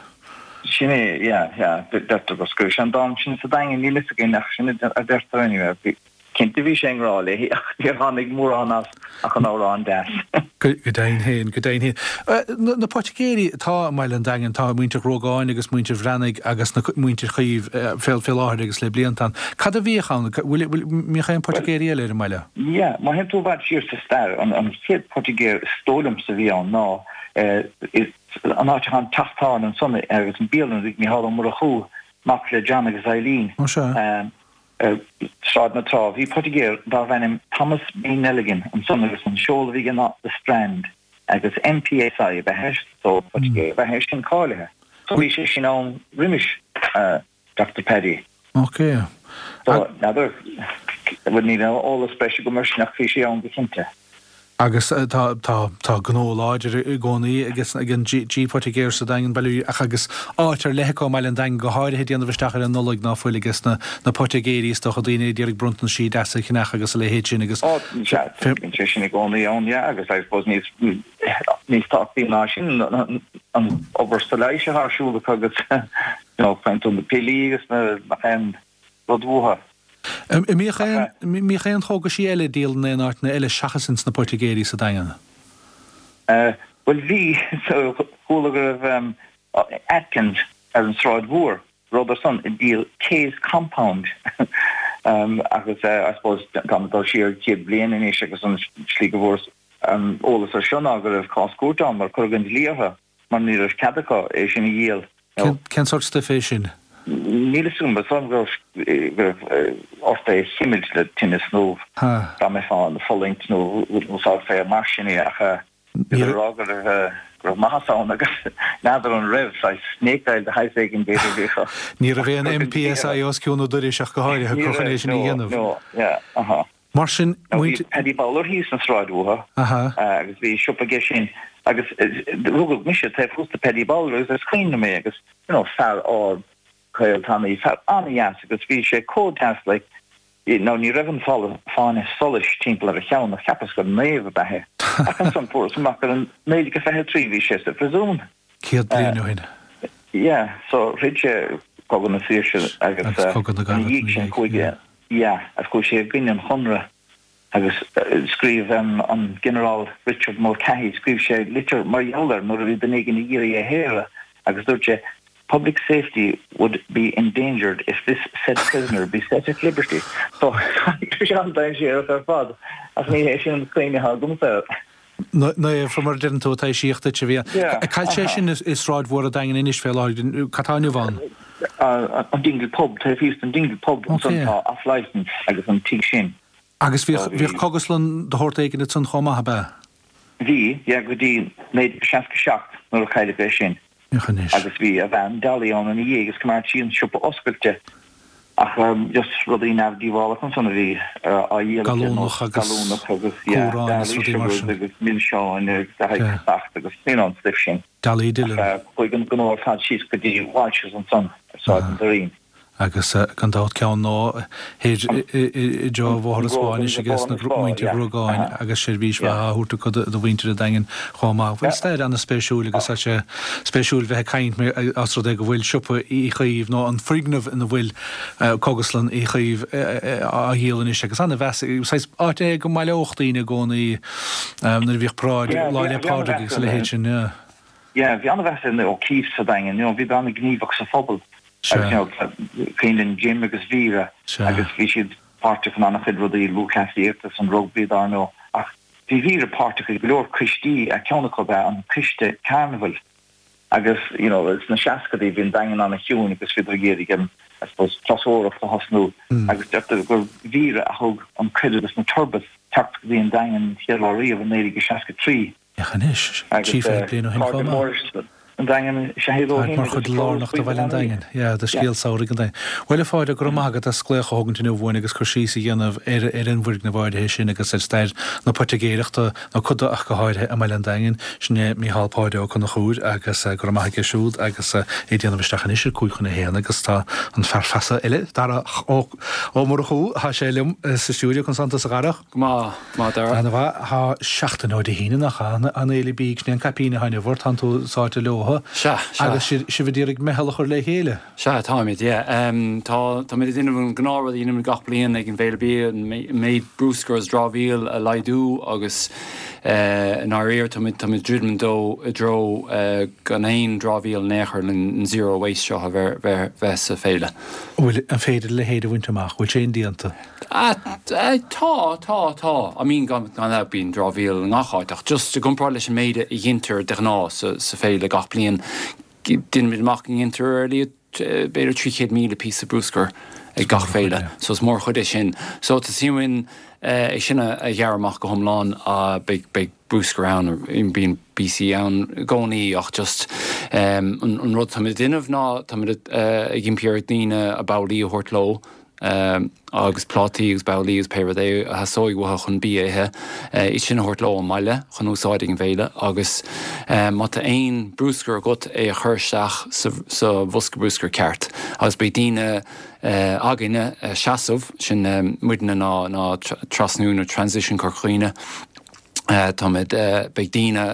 Sin é, yeah, yeah. Deirtear gur scríobh sé an dán sin sa Daingean, níl fhios againn ach sin a deirtear anyway. Bhí. Cinnte bhí sé i ngrá léi ach níor tháinig mórán as ach an amhrán deas. Go deimhin féin, go deimhin féin. Na poitigéirí atá i mBaile an Daingin, tá muintir Ghruagáin agus muintir Bhreathnaigh agus na muintir Chaoimh fé fé láthair agus le blianta ann. Cad a bhíodh ann? Bhfuil, bhfuil, mbíodh aon poitigéirí eile ar an mbaile? Yeah, má théann tú i bhfad siar sa stair, an an chéad poitigéir is dóigh liomsa a bhí ann ná an áit atá an teach tábhairne ansan agus an bialann ag Micheál Ó Murchú, mac le John agus Eileen. Ó sea. Ar Sráid na Trá bhí poitigéir darbh ainm Thomas B. Nelligan ansan agus an seoladh a bhí aige ná The Strand agus MPSI ab ea é so poitigéir ab ea é sin cáilithe. So bhí sé sin ann roimis Doctor Paddy. Ok. So n'fheadar, bhuel níl aon eolas breise agam air sin ach bhí sé ann go cinnte. Agus tá, tá, tá gnó láidir i gcónaí ag ag an G Poitigéir sa Daingean, bail ach agus áit ar leith acu i mBaile an Daingin go háirithe ag déanamh isteach ar an Nollaig ná fuil ages na, na poitigéirí is dócha, daoine ag iarraidh bronntaisí deasa a cheannach agus a leithéid sin agus Ó, sea, bíonn sé sin i gcónaí ann, yeah, agus I suppose níos, níos tábhachtaí ná sin an obair sa leighis atá ar siúl acu agus, you know, faigheann tú na piollaí agus na, nach aon rud uathu. An mbíodh aon, mbíodh aon chógaisí eile ag díol in aon áiteanna eile seachas ins na poitigéirí sa Daingean? Bhuel bhí, chuala go raibh Atkins ar an Sráid Mhór, rabhadar san ag díol Kay's Compound agus I suppose táim ag dul siar 100 bliain anois agus an slí go bhfuaireas an eolas ar seo ná go raibh cás cúirte ann mar cuireadh an dlí orthu. mar ní raibh cead acu é sin a dhíol. Cén sórt stuif é sin? Níl fhios agam, is dóigh liom go raibh ort é a chimilt le tinneas nó dá mbeifeá ag fulaingt nó úsáidfeá é mar sin é ach bhíodar ag rá go raibh maitheas ann agus n'fheadar an raibh, saghas snake oil de shaghas éigin b'fhéidir a bhí acu. Ní raibh aon MPSI os cionn an dorais ach go háirithe acu chun é sin a dhéanamh. Ní raibh, no, yeah, uh-huh. Mar sin, Bhí muintir. Paddy Bowler thíos an sráid uathu agus bhí siopa aige sin agus rugadh mise taobh thuas de Paddy Bowler agus is cuimhin liom é agus you know fear ard caol tanaí, fear an-dheas agus bhí sé chomh deas like you know ní raibh an fáinne solais timpeall ar a cheann ach cheapas gur naomh ab ea é. Ach ansan fuaireas amach gur in 1923 bhí sé sa phriosún. 100 bliain ó shin. Yeah, so throid sé Cogadh na Saoirse agus Agus Cogadh na ina gCarad dhiaidh sin chuaigh Yeah, agus chuaigh sé i gcoinne an Chonradh agus scríobh an Ginearál Richard Mulcahy, scríobh sé litir mar gheall air nuair a bhí duine éigin ag iarraidh é a shaoradh agus dúirt sé, Public safety would be endangered if this said prisoner be set at liberty. So, tá sé an-dainséarach ar fad ach ní hé sin an chuimhne atá agamsa air. Naomh, fé mar a deireann tú, taibhsíodh duit a bhí ann. Cá bhfuil sé sin i Sráid Mhór an Daingin anois fé láthair, cad tá inniu ann? An Dingle Pub, taobh thíos den Dingle Pub ansan tá off licence agus an tigh sin. Agus bhíodh cógaslann de shórt éigin ansan chomh maith, ab ea? Bhí, yeah, go dtí 1967 nuair a cailleadh é sin. Féach anois. Agus bhí a bhean Dolly ann ina dhiaidh agus choimeád sí an siopa oscailte ach just rudaí neamhdhíobhálacha ansan a bhí á dhíol aici ar nós Gallúnach agus gallúnach agus yeah, cumhráin agus Dolly rudaí mar sugars sin. agus milseáin agus le haghaidh Yeah. casacht agus you know an stuif sin. Dolly Dillon. Ach chuaigh an gnó ar fad síos go dtí Walsh's ansan ar Sráid an Doirín. Agus gan dabht ceann nó thoir i dtreo Bhóthar an Spá anois aige na muintir Ghruagáin agus seirbhís mhaith á thabhairt acu do mhuintir an Daingin chomh maith. Bhuel stair an-spéisiúil agus tá sé spéisiúil bheith ag caint os rud é go bhfuil siopa Uí Chaoimh nó an foirgneamh ina bhfuil Cógaslann Uí Chaoimh á dhíol anois agus an-mheas, saghas áit é go mbaileodh daoine i gcónaí nuair a bhíodh paráid Lá 'le Pádraig agus a leithéid sin. Yeah, bhí an-mheas ar na O'Keeffes sa Daingean, you know, bhíodar an-ghníomhach sa phobal agus you know, cuimhin linn Jim agus Vera agus bhí siad páirteach in an-chuid rudaí, lúthchleasaíocht agus an rugbaí dar ndóigh ach. Bhí Vera páirteach i go leor coistí, ceann acu ab ea an Coiste Carnabhail agus you know sna seascadaí bhí an Daingean an-chiúin agus bhíodar ag iarraidh em I suppose turasóireacht a thosnú agus deirtear gur Vera a thug an cuireadh dos na Turbits teacht go dtí an Daingean an chéad lá riamh i 1963. Féach anois, 30 bliain ó shin chomh maith. An Daingean is ea iad ó shin Mar chuid lárnach de bhaile an Daingin. Yeah, de scéal samhraidh an Daingin. Bhuel, a Phádraig, go raibh maith agat as glaoch a thógaint inniu uainn agus cur síos a dhéanamh ar ar an bhfoirgneamh áirithe sin agus ar stair na poitigéireachta, nó cuid de ach go háirithe, i mBaile an Daingin. Sin é Micheál Páid Ó Conchúir agus go raibh maith aige siúd agus é ag déanamh isteach anois ar 12:55 agus tá an fear feasa eile, Darach Ó Ó Murchú, tá sé liom sa stiúideo, conas tánn tusa a Dharach? Go maith, maith Dara. Ana mhaith. Tá seachtain ó Dé hAoine nach ea? An Fhéile Bídh, sin é an caipín atá inniu ort, tánn tú sáite leotha. Sea, sea. Agus sibh ag iarraidh meitheal a chur le chéile. Sea, táimid, yeah. Tá, táimid ag déanamh an gnáthrud a dhéanaimid gach bliain ag an bhFéile Bídh, an méid brúscair agus dramhaíl a laghdú agus i ndáiríre táimid, táimid ag druidim dó i dtreo gan aon dramhaíl in aon chor, an zero waste seo a bheith, bheith, bheith sa féile. Bhfuil, an féidir a leithéid a bhaint amach? Bhfuil sé indéanta? Tá, tá, tá. I mean, gan dabht bíonn dramhaíl i ngach áit ach just i gcomparáid leis an méid a ghintear de ghnáth sa féile gach bliain, déanaimid amach go ngintear ar a laghad b'fhéidir 300,000 píosa brúscair ag gach féile. So is mórchuid é sin. So tá suim againn é sin a ghearradh amach go hiomlán. Beidh, beidh brúscar ann, bíonn píosaí ann i gcónaí ach just an rud táimid ag déanamh ná táimid ag impí ar dhaoine a babhlaí a thabhairt leo, agus plátaí agus babhlaí agus pé rud é a theastóidh uathu chun bia a ithe, iad sin a thabhairt leo ón mbaile chun úsáid ag an bhféile agus má tá aon brúscar agat é a chur isteach sa bhosca brúscair ceart agus beidh daoine againne ag seasamh, sin muidne ná ná Trasnú nó Transition Corca Dhuibhne. Táimid, beidh daoine,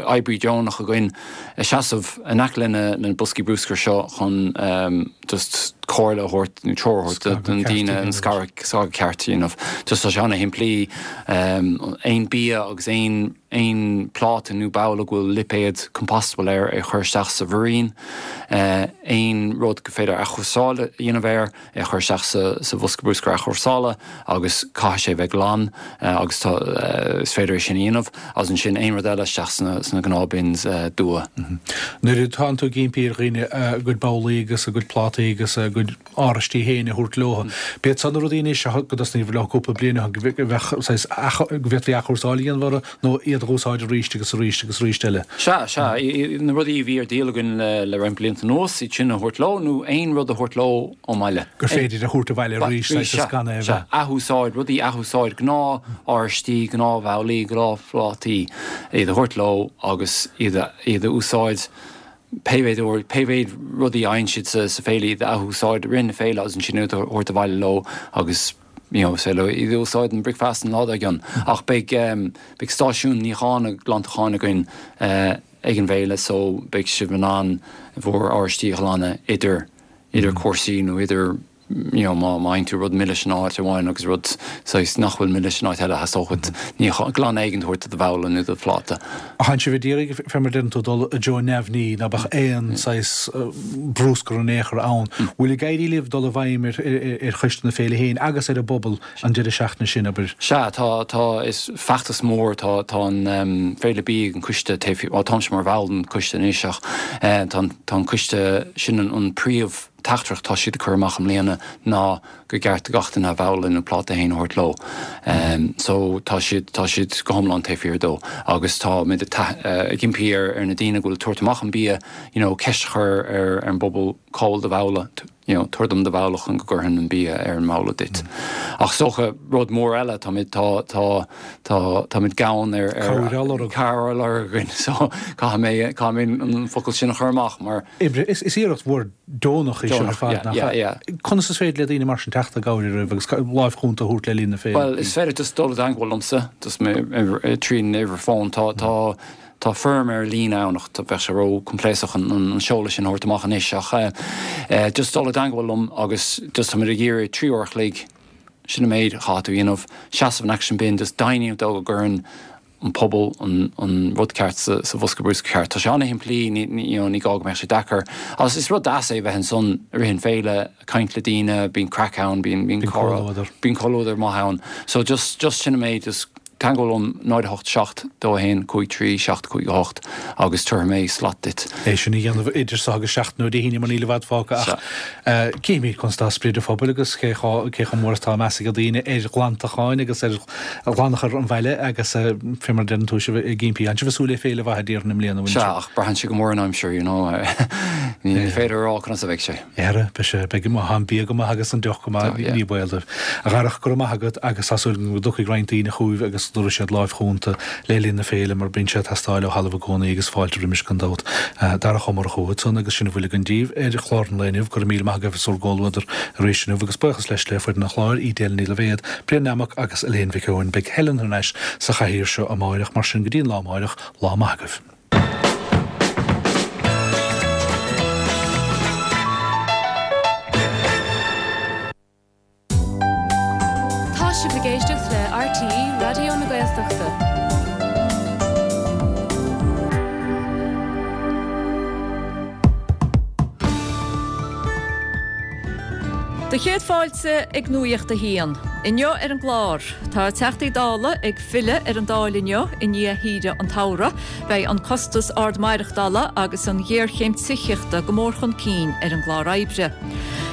oibrí deonach againn ag seasamh in aice le na boscaí brúscair seo chun just comhairle a thabhairt nó treoir a thabhairt do na daoine an scaradh ceart a dhéanamh. Just tá sé ana-shimplí, aon bia agus aon aon pláta nó babhla go bhfuil lipéad compostable air é a chur isteach sa mhuirín, aon rud gur féidir athchúrsáil a dhéanamh air, é a chur isteach sa bhosca brúscair athchúrsála agus caithfidh sé a bheith glan agus tá, is féidir é sin a dhéanamh agus ansin aon rud eile isteach sna gnáth bins dubha. Nuair atánn tú ag impí ar dhaoine a gcuid babhlaí agus a gcuid plátaí agus a gcuid áraistí féin a thabhairt leo, b'iad san na rudaí anois go dtosnaíodh leo cúpla bliain ó shin go bheadh saghas, go bhféadfaí athchúrsáil a dhéanamh orthu nó iad a dh'úsáid arís agus arís agus arís eile. Sea, sea. Na rudaí a bhí ar díol againn le roinnt blianta anuas, iad sin a thabhairt leo, nó aon rud a thabhairt leo ón mbaile. Gur féidir a thabhairt abhaile arís, saghas is gan é a bheith. Sea, athúsáid, rudaí a athúsáid, gnáth-áraistí, gnáth-bhabhlaí, gnáth-phlátaí, iad a thabhairt leo agus iad a, iad a úsáid pé mhéid uair, pé mhéid rudaí a fhaigheann siad sa féile, iad a athúsáid i rith na féile agus ansin iad a thabhairt abhaile leo agus you know, is féidir iad a úsáid don bricfeasta an lá dár gcionn. Ach beidh, beidh stáisiún níocháin agus glantacháin againn ag an bhféile so beidh sibh in ann bhur áraistí a ghlanadh idir, idir cúrsaí nó idir, you know, má, má fhaigheann tú rud milis in áit amháin agus rud saghas nach bhfuil milis in áit eile, theastódh uait níochán, glanadh éigin a thabhairt do do bhabhla nó do phláta. Thánn sibh ag iarraidh, fé mar a deireann tú, dul i dtreo neamhní, ná beadh aon saghas brúscar in aon chor ann. Bhfuil ag éirí libh dul i bhfeidhm ar choiste na féile féin agus ar an bpobal an deireadh seachtaine sin, abair? Sea, tá, tá, is feachtas mór, tá, tá an Féile Bídh, an coiste taobh, bhuel táimse mar bhall den choiste anois ach tá an, tá an coiste, sin an príomh teachtaireacht atá siad ag cur amach i mbliana ná gur ceart do gach duine a bhabhla nó pláta féin a thabhairt leo. So tá siad, tá siad go hiomlán taobh thiar dó agus táimid ag impí ar ar na daoine go bhfuil ag tabhairt amach an bia, you know, ceist a chur ar ar an bpobal cá bhfuil do bhabhla, you know, tabhair dom do bhabhla chun go gcuirfinn an bia ar an mbabhla duit. Ach is dócha rud mór eile, táimid, tá, tá, tá, táimid gann ar, ar, Cabhair á lorg. Cabhair á lorg againn so caithfidh mé, caithfidh mé an focal sin a chur amach mar, Oibre. Is iarracht mhór deonach í seo ar fad, nach ea? Conas is féidir le daoine mar sin teacht i gcabhair oraibh agus láimh chúnta a thabhairt le linn na féile? Bhuel, is féidir just dul i dteangmháil liomsa, just mé tríd an uimhir fóin. Tá, tá, tá foirm ar líne ann ach bheadh sé ró-choimpléascach an, an seoladh sin a thabhairt amach anois ach eh, just dul i dteangmháil liom agus just táimid ag iarraidh 3 uair a chloig, sin an méid a chaithfidh tú a dhéanamh, seasamh in aice an bin, just deimhniú dó go gcuireann an pobal an rud ceart sa bhosca brúscair ceart. Tá sé an-shimplí, ní you know ní gá go mbeadh sé deacair. Agus is rud deas é bheith ansan i rith an féile, ag caint le daoine, bíonn craic ann, bíonn bíonn comhluadar. Bíonn comhluadar maith ann. So just just sin an méid, just. Teagmháil liom 0 8 7 2 1 5 3 7 5 8 agus tabharfaidh mé slat duit. É sin a dhéanamh idir seo agus seachtain ó Dé hAoine mar níl i bhfad fágtha ach cífimid conas atá sprid an phobail agus cé chomh mór is atá meas ag daoine ar ghlantacháin agus ar ghlanachar an bhaile agus fé mar a deireann tú sibh ag impí. Tá sibh ag súil le féile mhaith déarfainn i mbliana, an bhfuil Sea, ach braitheann sé go mór ar an aimsir, you know. Ní féidir a rá conas a bheidh sé. Ara, beidh sé, beidh, má tá an bia go maith agus an deoch go maith, ní baol dóibh. A Dharach, go raibh maith agat agus tá súil agam go dtiocfaidh roinnt daoine chugaibh agus go dtabharfaidh siad láimh chúnta le linn na féile mar bíonn sé ag teastáil ó thalamh i gcónaí agus fáilte roimis gan dabht. Darach Ó Murchú ansan agus sin a bhfuil againn daoibh ar chlár an lae inniu. Go raibh míle maith agaibh as bhur gcomhluadar arís inniu agus buíochas leis le foireann an chláir, Edel Ní Loibhéad, Brian Nammock agus Elaine Mhic Eoin. Beidh Helen thar n-ais sa chathaoir seo amáireach, mar sin go dtí an lá amáireach, lá maith agaibh. Tá sibh ag éisteacht le RTÉ Raidió na Gaeltachta. Do chéad fáilte ag Nuacht a hAon. Inniu ar an gclár, tá Teachtaí Dála ag filleadh ar an Dáil inniu i ndiaidh shaoire an tsamhraidh. Beidh an costas ard maireachtála agus an ghéarchéim tithíochta go mór chun cinn ar an gclár oibre.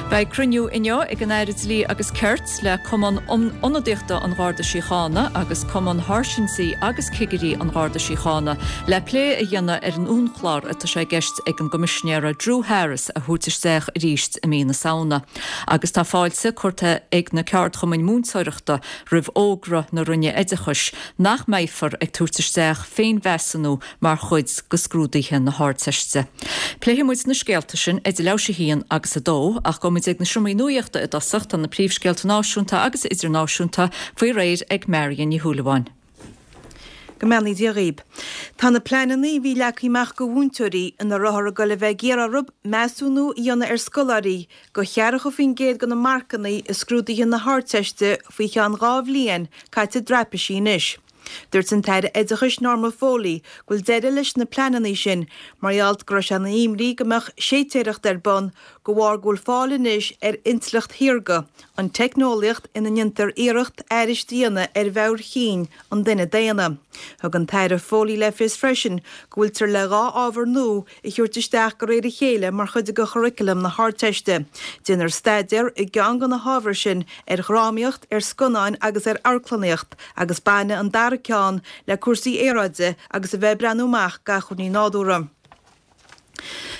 Beidh cruinniú inniu ag an Aire Dlí agus Cirt le Cumann Ionadaíochta an Gharda Síochána agus Cumann Sháirsintí agus Cigirí an Gharda Síochána le plé a dhéanamh ar an uainchlár atá sé i gceist ag an gCoimisinéara Drew Harris a thabhairt isteach arís i mí na Samhna. Agus tá fáilte curtha ag na ceardchumainn múinteoireachta roimh fhógra na Roinne Oideachais nach mbeifear ag tabhairt isteach féinmheasúnú mar chuid de scrúduithe na hArdteiste. Pléifidh muid na scéalta sin idir leathuair théis a haon agus a dó, ach gabhfaidh muid ag na seomraí nuachta i dtosach, tá na príomhscéalta náisiúnta agus idirnáisiúnta faoi réir ag Marion Ní Shúilleabháin. Go mbeannaí Dia dhaoib. Tá na pleananna a bhí leagtha amach go mhúinteoirí ina rabhthar ag dul a bheith ag iarraidh orthu measúnú a dhéanamh ar scoláirí go cheathracha faoin gcéad de na marcanna i scrúduithe na hArdteiste faoi cheann 2 bhliain caite i dtraipisí anois. Dúirt an tAire Oideachais Norma Foley go bhfuil deireadh leis na pleananna sin mar gheall go raibh sé ina imní go mbeadh séitéireacht ar bun de bharr go bhfuil fáil anois ar intleacht shaorga, an teicneolaíocht ina ndéantar iarracht aithris a dhéanamh ar mheabhair chinn an duine daonna. Thug an tAire Foley le fios freisin go bhfuiltear le 2 ábhar nua a thabhairt isteach de réir a chéile mar chuid de churaclam na hArdteiste. Déanfar staidéar i gceann de na hábhair sin ar dhrámaíocht, ar scannáin agus ar amharclannaíocht agus bainfidh an dara ceann le cúrsaí aeráide agus a bheith ag breathnú amach d'acmhainní nádúrtha.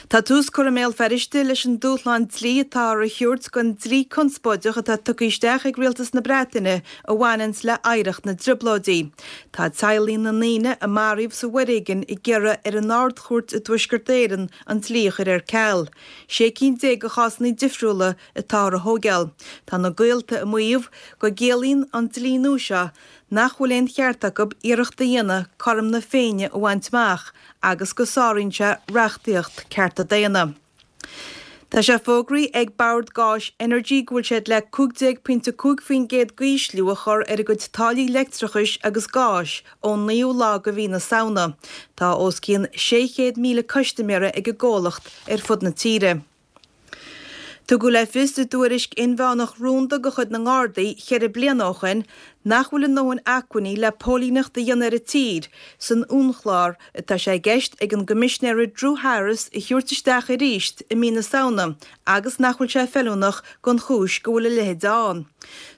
Tá tús curtha i mBéal Feirste leis an dúshlán dlí atáthar a thabhairt don dlí conspóideach atá tugtha isteach ag Rialtas na Breataine a bhaineanns le hoidhreacht na dTrioblóidí. Tá teaghlaigh na ndaoine a maraíodh sa bhforéigean ag iarraidh ar an Ard-Chúirt i dTuaisceart Éireann an dlí a chur ar ceal. 16 cinn de chásanna difriúla atáthar a thóigeáil. Tá na gaolta ag maíomh go gciallaíonn an dlí nua seo nach bhfuil aon cheart acu iarracht a dhéanamh cothrom na Féinne a bhaint amach agus go sáraíonn sé reachtaíocht cearta daonna. Tá sé fógraithe ag Bord Gáis Energy go bhfuil siad le 15.5% d'ísliú a chur ar a gcuid táillí leictreachais agus gáis ón naoú lá de mhí na Samhna. Tá os cionn 600,000 custaiméara ag an gcomhlacht ar fud na tíre. Tugadh le fios i dtuairisc inmheánach rúnda de chuid na nGardaí cheithre bliana ó shin nach bhfuil a ndóthain acmhainní le póilíneacht a dhéanamh ar an tír san uainchlár atá sé i gceist ag an gCoimisinéara Drew Harris a thabhairt isteach arís i mí na Samhna agus nach bhfuil sé feiliúnach don chúis go bhfuil a leithéid ann.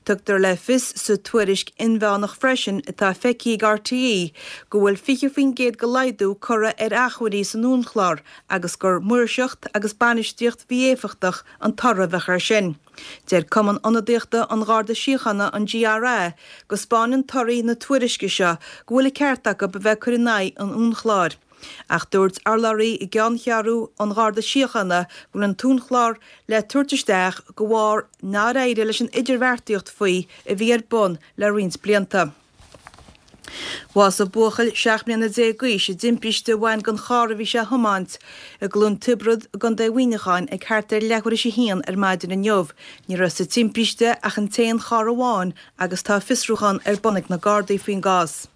Tugtar le fios sa tuairisc inmheánach freisin atá feicthe ag RTÉ go bhfuil 20% de laghdú curtha ar acmhainní san uainchlár agus gur maoirseacht agus bainistíocht mhí-éifeachtach an toradh a bheadh air sin. Deir Cumann Ionadaíochta an Gharda Síochána, an GRA, go 'spáineann torthaí na tuairisce seo go bhfuil an ceart acu a bheith ag cur in aghaidh an uainchlár. Ach dúirt urlabhraí i gceanncheathrú an Gharda Síochána go bhfuil an t-uainchlár le tabhairt isteach de bharr nár éirigh leis an idirbheartaíocht faoi a bhí ar bun le roinnt blianta. Bhásaigh buachaill 17 mbliana d'aois i dtimpiste a bhain den charr a bhí sé a thiomáint i gCluain Tiobrad i gContae Mhuineacháin ag thart ar leathuair théis a haon ar maidin inniu. Ní raibh sa timpiste ach an t-aon charr amháin agus tá fiosrúchán ar bun ag na Gardaí faoin gcás.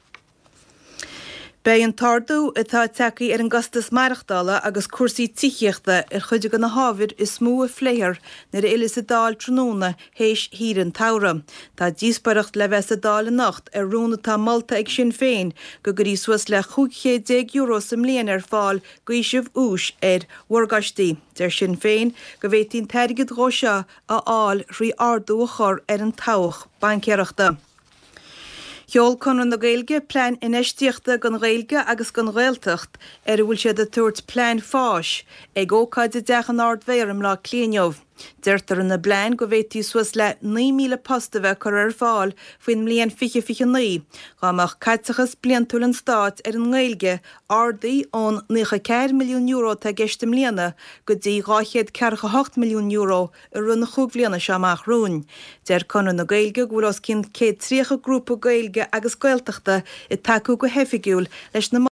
Beidh an t-ardú atá tagtha ar an gcostas maireachtála agus cúrsaí tithíochta ar chuid de na hábhair is mó a phléifear nuair a fhilleas an Dáil tráthnóna théis shaoire an tsamhraidh. Tá díospóireacht le bheith sa Dáil anocht ar rún atá molta ag Sinn Féin go gcuirfí suas le €15 sa mbliain ar fáil d'fhaoiseamh úis ar mhorgáistí. Deir Sinn Féin go bhféadfaí an t-airgead dhó seo a fháil thrí ardú a chur ar an tobhach baincéireachta. Sheol Conradh na Gaeilge plean infheistíochta don Ghaeilge agus don Ghaeltacht, ar a bhfuil siad ag tabhairt Plean Fáis, ag ócáid i dTeach an Ard-Mhéara i mBleá Cliath inniu. Deirtear ina bplean go bhféadfaí suas le 9,000 post a bheith curtha ar fáil faoin mbliain 2029 dá mbeadh caiteachas bliantúil an stáit ar an nGaeilge ardaithe ón €94 milliún atá i gceist i mbliana go dtí €248 milliún i rith na chúig bhliana seo amach romhainn. Deir Conradh na Gaeilge go bhfuil os cionn 130 grúpa Gaeilge agus Gaeltachta ag tacú go hoifigiúil leis na.